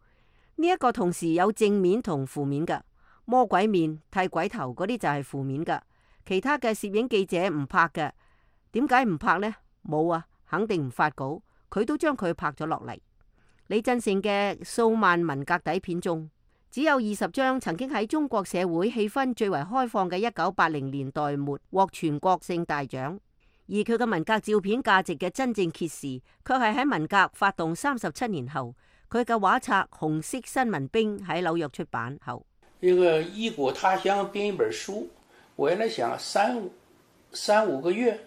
呢、這、一個同時有正面同負面嘅，魔鬼面、剃鬼頭嗰啲就係負面嘅。其他嘅攝影記者唔拍嘅，點解唔拍呢？冇啊，肯定唔發稿，佢都將佢拍咗落嚟。李振成嘅數萬文革底片中，只有二十張曾經喺中國社會氣氛最為開放嘅一九八零年代末獲全國性大獎，而佢嘅文革照片價值嘅真正揭示，卻係喺文革發動三十七年後，佢嘅畫冊《紅色新聞兵》喺紐約出版後。一個異國他鄉編一本書，我原來想三五三五個月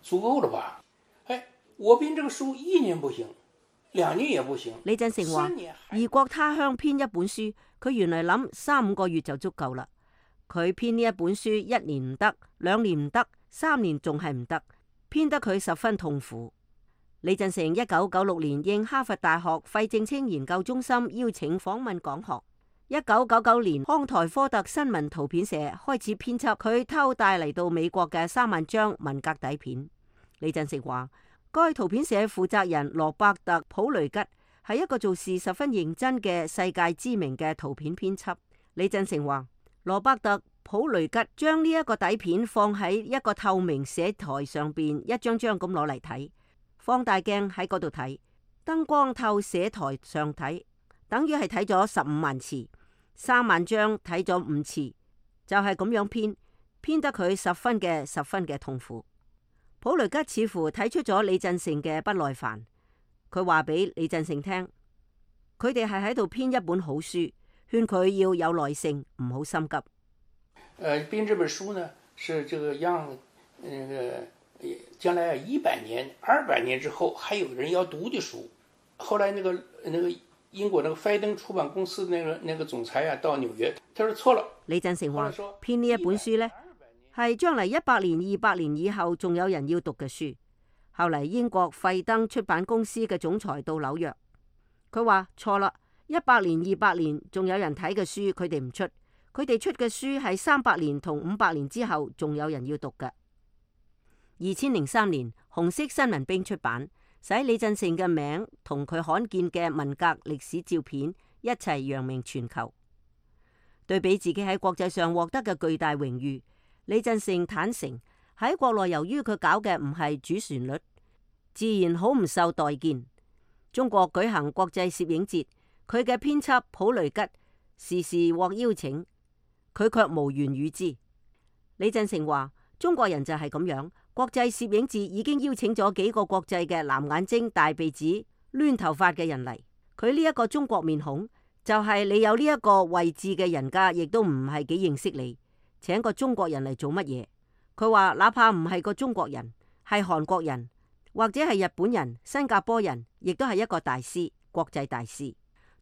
足夠了吧？哎，我編這個書一年不行。兩年也不行。李振成話：異國他鄉編一本書，佢原來諗三五個月就足夠啦。佢編呢一本書一年唔得，兩年唔得，三年仲係唔得，編得佢十分痛苦。李振成一九九六年應哈佛大學費正清研究中心邀請訪問講學。一九九九年康台科特新聞圖片社開始編輯佢偷帶嚟到美國嘅三萬張文革底片。李振成話：該圖片社負責人羅伯特普雷吉係一個做事十分認真嘅世界知名嘅圖片編輯。李振成話：羅伯特普雷吉將呢一個底片放喺一個透明寫台上邊，一張張咁攞嚟睇，放大鏡喺嗰度睇，燈光透寫台上睇，等於係睇咗十五萬次，三萬張睇咗五次，就係咁樣編，編得佢十分嘅十分嘅痛苦。普雷吉似乎睇出咗李振成嘅不耐煩，佢話俾李振成聽，佢哋係喺度編一本好書，勸佢要有耐性，唔好心急。誒、呃，編這本書呢，是這個讓那個將來一百年、二百年之後還有人要讀的書。後來那個那個英國那個費登出版公司那個那個總裁啊，到紐約，他說錯了。李振成話編呢一本書呢，係將嚟一百年、二百年以後仲有人要讀嘅書。後嚟英國費登出版公司嘅總裁到紐約，佢話錯啦，一百年、二百年仲有人睇嘅書，佢哋唔出。佢哋出嘅書係三百年同五百年之後仲有人要讀嘅。二千零三年，紅色新聞兵出版，使李振盛嘅名同佢罕見嘅文革歷史照片一齊揚名全球。對比自己喺國際上獲得嘅巨大榮譽，李振盛坦誠喺國內由於佢搞嘅唔係主旋律，自然好唔受待見。中國舉行國際攝影節，佢嘅編輯普雷吉時時獲邀請，佢卻無緣與之。李振盛話：中國人就係咁樣，國際攝影節已經邀請咗幾個國際嘅藍眼睛、大鼻子、攣頭髮嘅人嚟，佢呢一個中國面孔，就係你有呢一個位置嘅人家，亦都唔係幾認識你，請個中國人嚟做乜嘢？佢話哪怕唔係個中國人，係韓國人或者係日本人、新加坡人，亦都係一個大師，國際大師。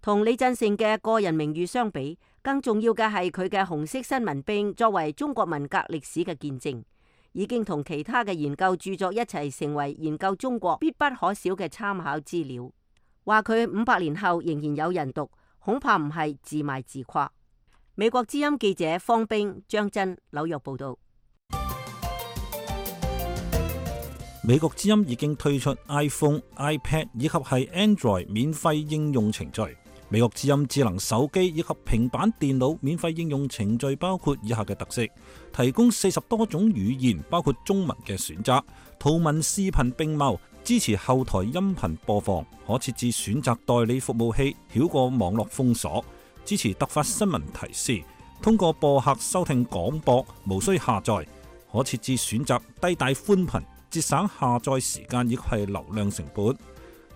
同李振盛嘅個人名譽相比，更重要嘅係佢嘅紅色新聞兵作為中國文革歷史嘅見證，已經同其他嘅研究著作一齊成為研究中國必不可少嘅參考資料。話佢五百年後仍然有人讀，恐怕唔係自賣自誇。美國之音記者方冰、張真，紐約報道。美國之音已經推出 iPhone、iPad 以及係 Android 免費應用程序。美國之音智能手機以及平板電腦免費應用程序包括以下嘅特色：提供四十多種語言，包括中文嘅選擇，圖文視頻並茂，支持後台音頻播放，可設置選擇代理服務器，繞過網絡封鎖，支持突發新聞提示，通過播客收聽廣播，無需下載，可設置選擇低帶寬頻，節省下載時間以及係流量成本。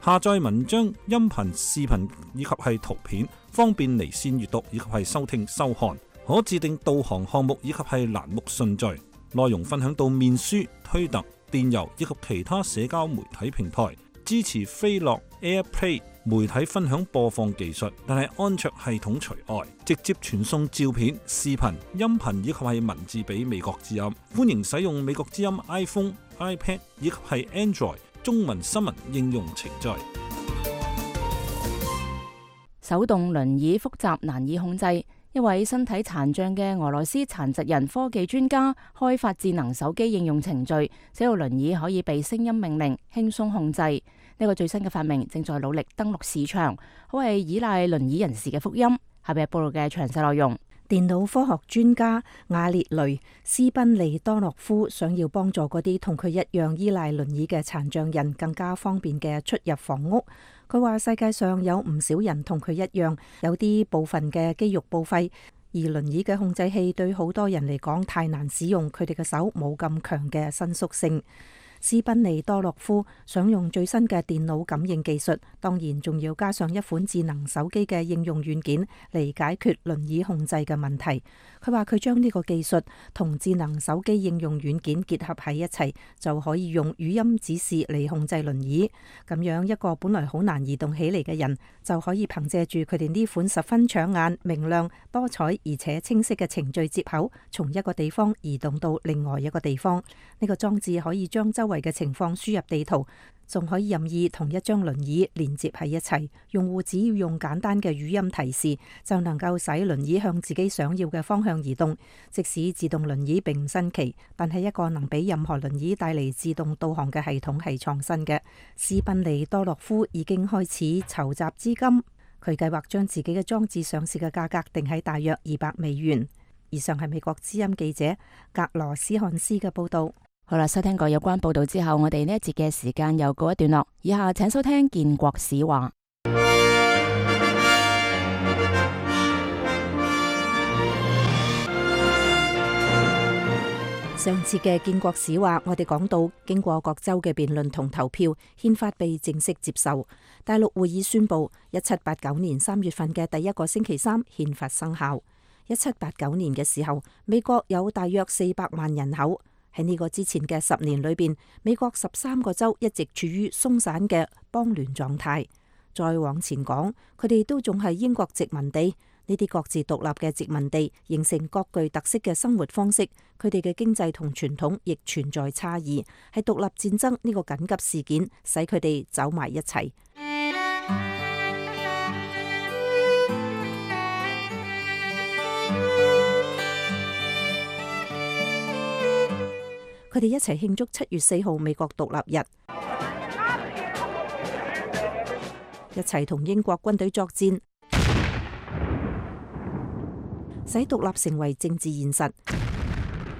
下載文章、音頻、視頻以及係圖片，方便離線閱讀以及係收聽收看。可自定導航項目以及係欄目順序。內容分享到面書、推特、電郵以及其他社交媒體平台。支持飛樂 AirPlay 媒體分享播放技術，但係安卓系統除外。直接傳送照片、視頻、音頻以及係文字俾美國之音。歡迎使用美國之音 iPhone、iPad 以及係 Android中文新聞應用程序。手動輪椅複雜難以控制，一位身體殘障嘅俄羅斯殘疾人科技專家開發智能手機應用程序，使到輪椅可以被聲音命令，輕鬆控制。呢個最新嘅發明正在努力登陸市場，可係依賴輪椅人士嘅福音。下邊係報道嘅詳細內容。電腦科學專家瓦列雷斯賓利多諾夫想要幫助嗰啲同佢一樣依賴輪椅嘅殘障人更加方便嘅出入房屋。佢話世界上有唔少人同佢一樣，有啲部分嘅肌肉報廢，而輪椅嘅控制器對好多人嚟講太難使用，佢哋嘅手冇咁強嘅伸縮性。斯賓利多諾夫想用最新嘅電腦感應技術，當然仲要加上一款智能手機嘅應用軟件嚟解決輪椅控制嘅問題。佢話佢將呢個技術同智能手機應用軟件結合喺一齊，就可以用語音指示嚟控制輪椅。咁樣一個本來好難移動起嚟嘅人，就可以憑借住佢哋呢款十分搶眼、明亮、多彩而且清晰嘅程序接口，從一個地方移動到另外一個地方。呢個裝置可以將周圍嘅情況輸入地圖，仲可以任意同一張輪椅連接喺一齊。用戶只要用簡單嘅語音提示，就能夠使輪椅向自己想要嘅方向移動。即使自動輪椅並唔新奇，但係一個能俾任何輪椅帶嚟自動導航嘅系統係創新嘅。斯賓利多諾夫已經開始籌集資金，佢計劃將自己嘅裝置上市嘅價格定喺大約二百美元。以上係美國之音記者格羅斯漢斯嘅報道。好啦，收聽過有關報道之後，我哋呢一節嘅時間又告一段落。以下請收聽建國史話。上次嘅建國史話，我哋講到經過各州嘅辯論同投票，憲法被正式接受。大陸會議宣布，一七八九年三月份嘅第一個星期三，憲法生效。一七八九年嘅時候，美國有大約四百萬人口。喺呢個之前嘅十年裏邊，美國十三個州一直處於鬆散嘅邦聯狀態。再往前講，佢哋都仲係英國殖民地。呢啲各自獨立嘅殖民地形成各具特色嘅生活方式，佢哋嘅經濟同傳統亦存在差異。係獨立戰爭呢個緊急事件使佢哋走埋一齊。佢哋一齊慶祝七月四號美國獨立日，一齊同英國軍隊作戰，使獨立成為政治現實。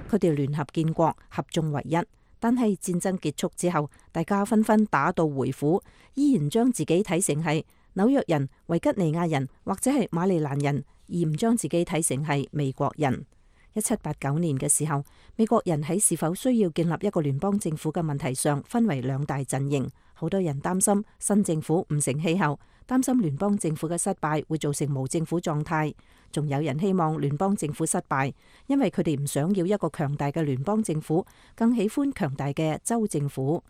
佢哋聯合建國，合眾為一。但係戰爭結束之後，大家紛紛打道回府，依然將自己睇成係紐約人、維吉尼亞人或者係馬里蘭人，而唔將自己睇成係美國人。一七八九年嘅時候，美國人喺是否需要建立一個聯邦政府嘅問題上分為兩大陣營。好多人擔心新政府唔成氣候，擔心聯邦政府嘅失敗會造成無政府狀態。仲有人希望聯邦政府失敗，因為佢哋唔想要一個強大嘅聯邦政府，更喜歡強大嘅州政府。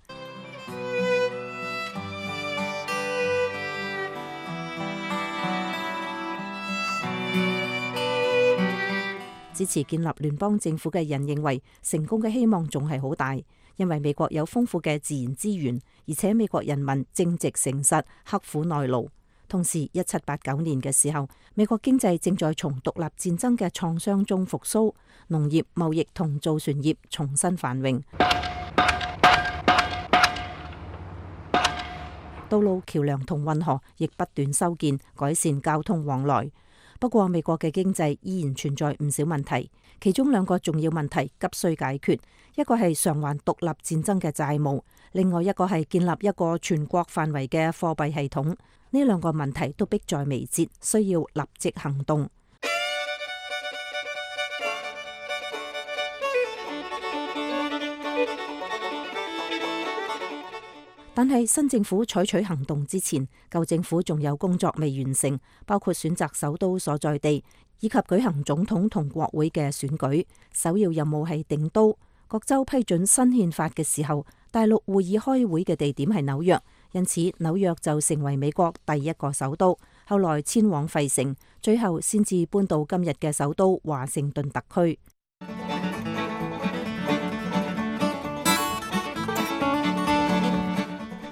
支持建立聯邦政府嘅人認為，成功嘅希望仲係好大，因為美國有豐富嘅自然資源，而且美國人民正直誠實、刻苦耐勞。同時，一七八九年嘅時候，美國經濟正在從獨立戰爭嘅創傷中復甦，農業、貿易同造船業重新繁榮，道路、橋梁同運河亦不斷修建，改善交通往來。不過，美國嘅經濟依然存在唔少問題，其中兩個重要問題急需解決，一個係償還獨立戰爭嘅債務，另外一個係建立一個全國範圍嘅貨幣系統。呢兩個問題都迫在眉睫，需要立即行動。但係新政府採取行動之前，舊政府仲有工作未完成，包括選擇首都所在地，以及舉行總統同國會嘅選舉。首要任務係定都。各州批准新憲法嘅時候，大陸會議開會嘅地點係紐約，因此紐約就成為美國第一個首都。後來遷往費城，最後先至搬到今日嘅首都華盛頓特區。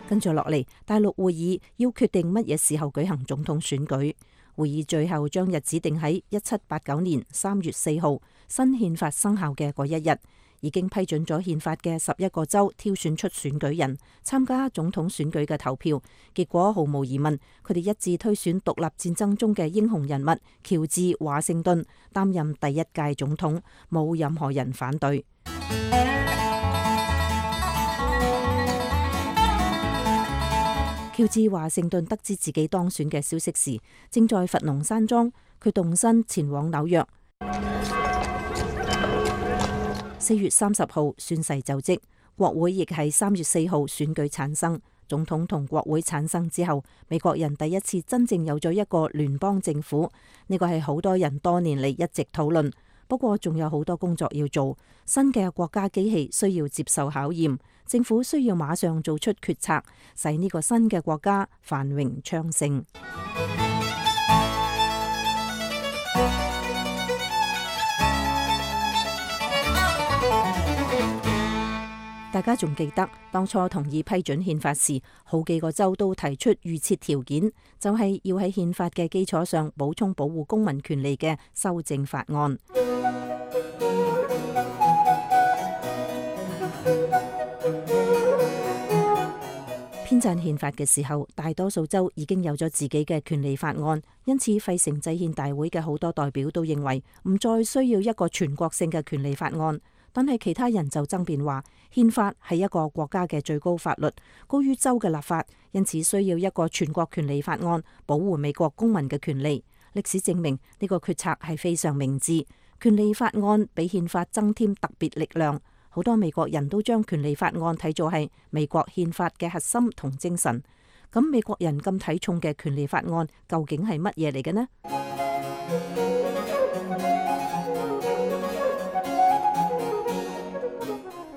跟住落嚟，大陸會議要決定乜嘢時候舉行總統選舉。會議最後將日子定喺一七八九年三月四號，新憲法生效嘅嗰一日。已經批准咗憲法嘅十一個州挑選出選舉人參加總統選舉嘅投票，結果毫無疑問，佢哋一致推選獨立戰爭中嘅英雄人物喬治華盛頓擔任第一屆總統，冇任何人反對。喬治華盛頓得知自己當選嘅消息時，正在佛農山莊，佢動身前往紐約。四月三十號宣誓就職，國會亦係三月四號選舉產生。總統同國會產生之後，美國人第一次真正有咗一個聯邦政府。呢個係好多人多年嚟一直討論。不過仲有好多工作要做，新嘅國家機器需要接受考驗，政府需要馬上做出決策，使呢個新嘅國家繁榮昌盛。大家仲記得當初同意批准憲法時，好幾個州都提出預設條件，就係要喺憲法嘅基礎上補充保護公民權利嘅修正法案。編撰憲法嘅時候，大多數州已經有咗自己嘅權利法案，因此費城制憲大會嘅好多代表都認為唔再需要一個全國性嘅權利法案。但係其他人就爭辯話，憲法係一個國家嘅最高法律，高於州嘅立法，因此需要一個全國權利法案保護美國公民嘅權利。歷史證明呢個決策係非常明智，權利法案俾憲法增添特別力量。好多美國人都將權利法案睇做係美國憲法嘅核心同精神。咁美國人咁睇重嘅權利法案究竟係乜嘢嚟嘅呢？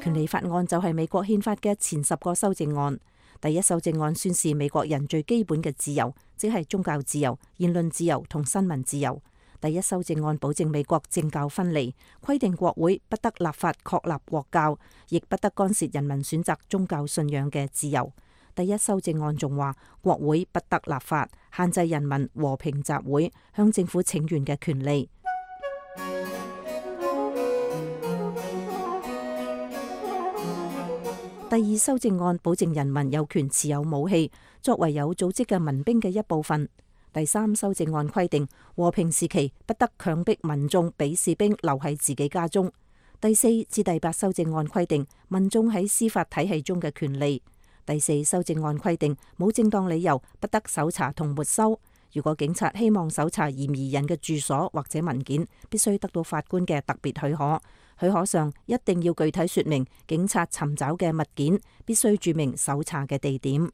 權利法案就係美國憲法嘅前十個修正案。第一修正案宣示美國人最基本嘅自由，即係宗教自由、言論自由同新聞自由。第一修正案保證美國政教分離，規定國會不得立法確立國教，亦不得干涉人民選擇宗教信仰嘅自由。第一修正案仲話，國會不得立法限制人民和平集會、向政府請願嘅權利。第二修正案保證人民有權持有武器，作為有組織嘅民兵嘅一部分。第三修正案規定，和平時期不得強迫民眾俾士兵留喺自己家中。第四至第八修正案規定民眾喺司法體系中嘅權利。第四修正案規定冇正當理由不得搜查同沒收。如果警察希望搜查嫌疑人嘅住所或者文件，必須得到法官嘅特別許可。許可上一定要具體說明警察尋找嘅物件，必須註明搜查嘅地點。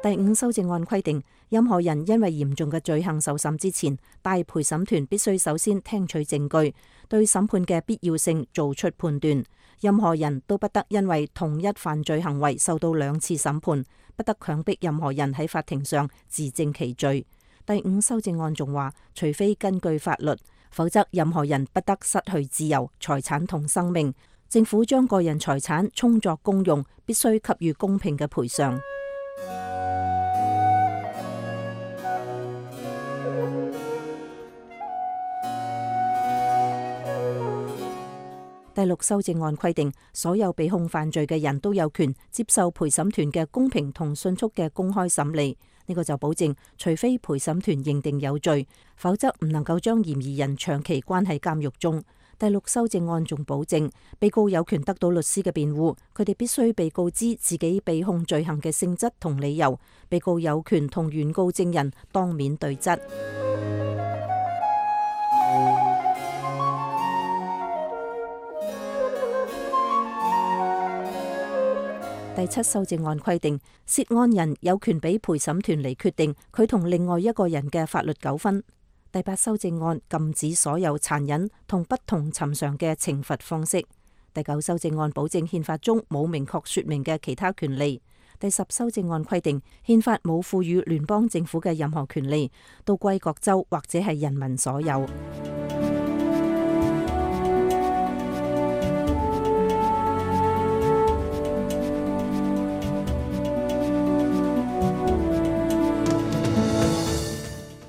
第五修正案規定，任何人因為嚴重嘅罪行受審之前，大陪審團必須首先聽取證據，對審判嘅必要性做出判斷。任何人都不得因為同一犯罪行為受到兩次審判，不得強迫任何人喺法庭上自證其罪。第五修正案仲話，除非根據法律，否則任何人不得失去自由、財產同生命。政府將個人財產充作公用，必須給予公平嘅賠償。第六修正案規定，所有被控犯罪嘅人都有權接受陪審團嘅公平同迅速嘅公開審理。呢個就保證，除非陪審團認定有罪，否則唔能夠將嫌疑人長期關喺監獄中。第六修正案仲保證，被告有權得到律師嘅辯護，佢哋必須被告知自己被控罪行嘅性質同理由。被告有權同原告證人當面對質。第七修正案規定，涉案人有權俾陪審團嚟決定佢同另外一個人嘅法律糾紛。第八修正案禁止所有殘忍同不同尋常嘅懲罰方式。第九修正案保證憲法中冇明確說明嘅其他權利。第十修正案規定，憲法冇賦予聯邦政府嘅任何權利，都歸各州或者係人民所有。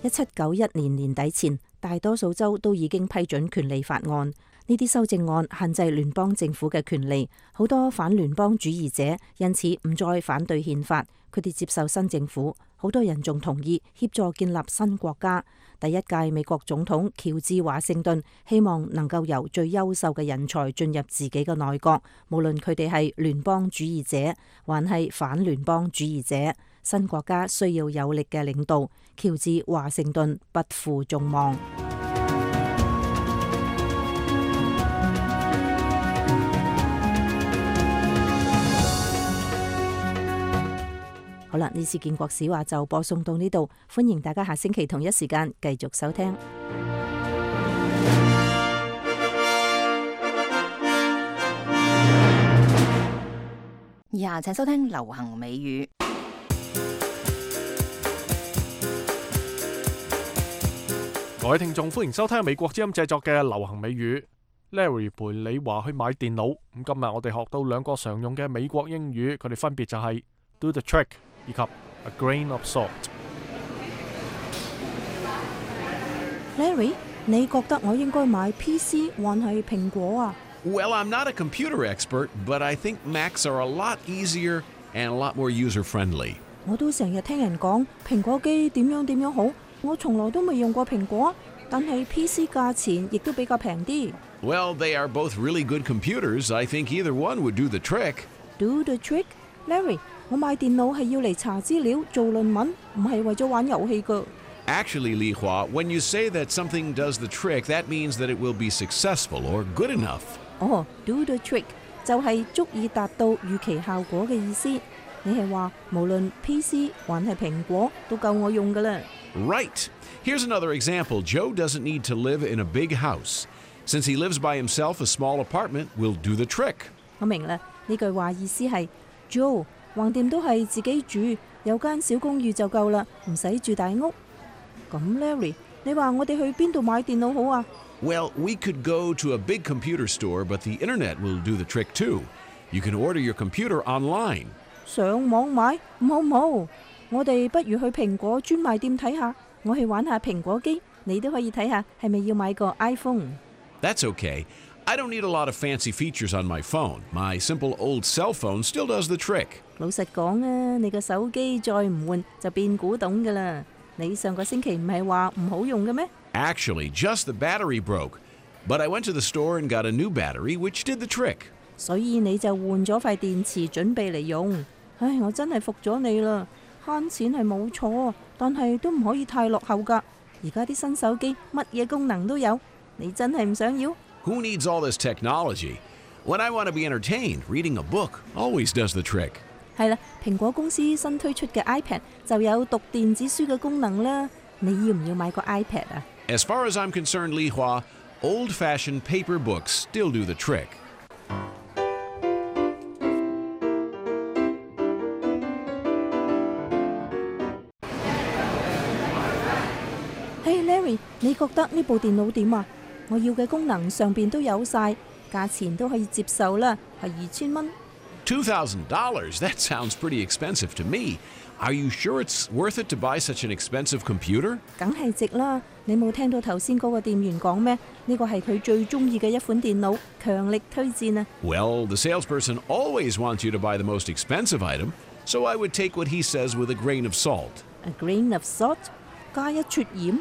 一七九一年年底前，大多數州都已經批准權利法案。呢啲修正案限制聯邦政府嘅權利，好多反聯邦主義者因此唔再反對憲法，佢哋接受新政府。好多人仲同意協助建立新國家。第一屆美國總統喬治華盛頓希望能夠由最優秀嘅人才進入自己嘅內閣，無論佢哋係聯邦主義者還係反聯邦主義者。新國家需要有力嘅領導，喬治華盛頓不負眾望。好啦，呢次建國史話就播送到呢度，歡迎大家下星期同一時間繼續收聽。以下請收聽流行美語。各位聽眾，歡迎收聽美國之音製作嘅流行美語。Larry 陪你話去買電腦。咁今日我哋學到兩個常用嘅美國英語，佢哋分別就係 do the trick 以及 a grain of salt。Larry， 你覺得我應該買 P C 還係蘋果啊？ Well, I'm not a computer expert, but I think Macs are a lot easier and a lot more user-friendly. 我都成日聽人講蘋果機點樣點樣好。我從來都未用過蘋果，但係 P C 價錢亦都比較平啲。Well, they are both really good computers. I think either one would do the trick. Do the trick? Larry, 我買電腦係要嚟查資料、做論文，唔係為咗玩遊戲㗎。Actually, Li Hua, when you say that something does the trick, that means that it will be successful or good enough. 哦 ，do the trick 就係足以達到預期效果嘅意思。你係話無論 P C 還係蘋果都夠我用㗎啦。Right. Here's another example. Joe doesn't need to live in a big house. Since he lives by himself, a small apartment will do the trick. 我明啦，呢句話意思係 Joe 橫掂都係自己住，有間小公寓就夠啦，唔使住大屋。咁 Larry， 你話我哋去邊度買電腦好啊？ Well, we could go to a big computer store, but the internet will do the trick too. You can order your computer online. 上網買唔好唔好？我哋不如去蘋果專賣店睇下，我去玩下蘋果機，你都可以睇下係咪要買個 iPhone。 That's okay. I don't need a lot of fancy features on my phone. My simple old cell phone still does the trick. 老實講啊，你個手機再唔換就變古董㗎啦。你上個星期唔係話唔好用嘅咩？ Actually, just the battery broke. But I went to the store and got a new battery, which did the trick. 所以你就換咗塊電池準備嚟用。唉，我真係服咗你啦！慳錢係冇錯，但係都唔可以太落後㗎。而家啲新手機乜嘢功能都有，你真係唔想要？ Who needs all this technology? When I want to be entertained, reading a book always does the trick. 係啦，蘋果公司新推出嘅 iPad 就有讀電子書嘅功能啦。你要唔要買個 iPad 啊？ As far as I'm concerned, Li Hua, old-fashioned paper books still do the trick. Hey Larry， 你覺得呢部電腦點啊？我要嘅功能上邊都有晒，價錢都可以接受啦，係二千蚊。Two thousand dollars? That sounds pretty expensive to me. Are you sure it's worth it to buy such an expensive computer? 梗係值啦！你冇聽到頭先嗰個店員講咩？呢個係佢最中意嘅一款電腦，強力推薦啊！ Well, the salesperson always wants you to buy the most expensive item, so I would take what he says with a grain of salt. A grain of salt？ 加一撮鹽？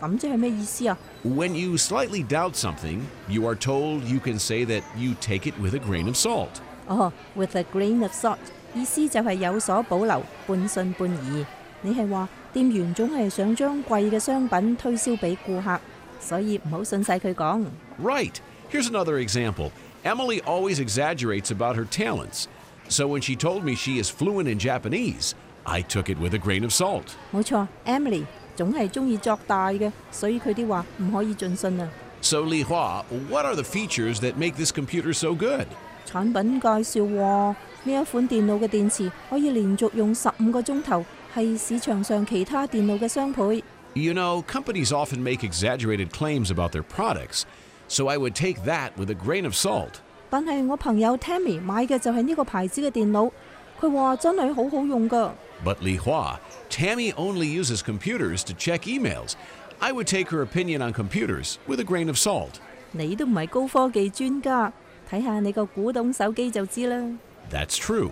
咁即係咩意思啊？ When you slightly doubt something, you are told you can say that you take it with a grain of salt. 哦 ，with a grain of salt， 意思就係有所保留，半信半疑。你係話店員總係想將貴嘅商品推銷俾顧客，所以唔好信晒佢講。 Right. Here's another example. Emily always exaggerates about her talents. So when she told me she is fluent in Japanese, I took it with a grain of salt. 冇錯 ，Emily 總係中意作大嘅，所以佢啲話唔可以盡信啊。 So Li Hua, what are the features that make this computer so good? 產品介紹喎，呢一款電腦嘅電池可以連續用十五個鐘頭，係市場上其他電腦嘅雙倍。 You know, companies often make exaggerated claims about their products, so I would take that with a grain of salt. 但係我朋友 Tammy 買嘅就係呢個牌子嘅電腦，佢話真係好好用㗎。 But Li Hua, Tammy only uses computers to check emails. I would take her opinion on computers with a grain of salt. 你都唔係高科技專家，睇下你個古董手機就知啦。 That's true.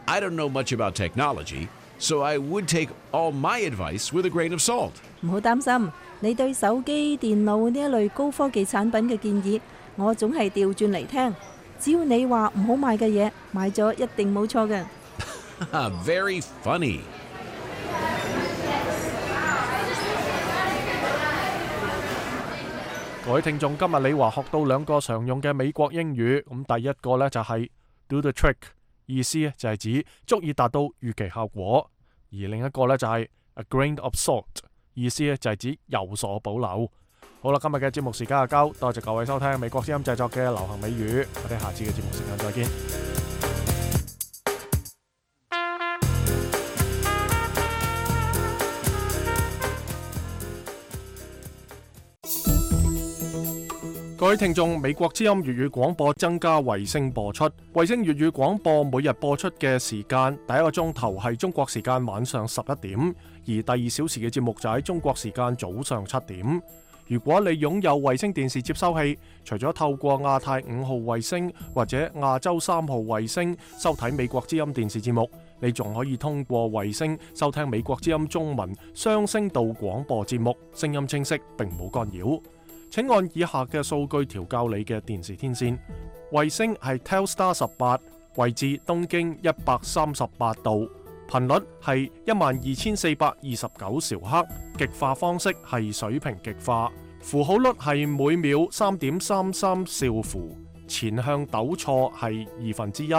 I don't know much about technology, so I would take all my advice with a grain of salt. 唔好擔心，你對手機、電腦呢一類高科技產品嘅建議，我總係調轉嚟聽。只要你話唔好買嘅嘢，買咗一定冇錯嘅。Very funny. 各位聽眾，今日李華學到兩個常用嘅美國英語，咁第一個呢就係 do the trick， 意思就係指足以達到預期效果；而另一個呢就係 a grain of salt， 意思就係指有所保留。好啦，今日嘅節目時間就夠，多謝各位收聽美國之音製作嘅流行美語，我哋下次嘅節目時間再見。各位聽眾，美國之音粵語廣播增加衛星播出。衛星粵語廣播每日播出嘅時間，第一個鐘頭係中國時間晚上十一點，而第二小時嘅節目就喺中國時間早上七點。如果你擁有衛星電視接收器，除咗透過亞太五號衛星或者亞洲三號衛星收睇美國之音電視節目，你仲可以通過衛星收聽美國之音中文雙聲道廣播節目，聲音清晰並冇干擾。請按以下嘅數據調校你嘅電視天線。衛星係 Telstar 十八，位置東經一百三十八度，頻率係一萬二千四百二十九兆赫，極化方式係水平極化，符號率係每秒三點三三兆符，前向抖錯係二分之一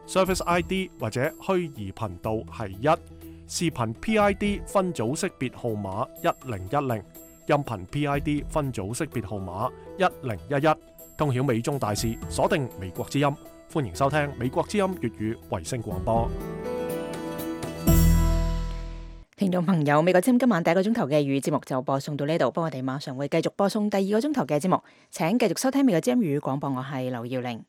，Service I D 或者虛擬頻道係一，視頻 P I D 分組識別號碼一零一零。音頻 P I D 分組識別號碼一零一一，通曉美中大事，鎖定美國之音，歡迎收聽美國之音粵語衛星廣播。聽眾朋友，美國之音今晚第一個鐘頭嘅粵語節目就播送到呢度，不過我哋馬上會繼續播送第二個鐘頭嘅節目，請繼續收聽美國之音粵語廣播，我係劉耀玲。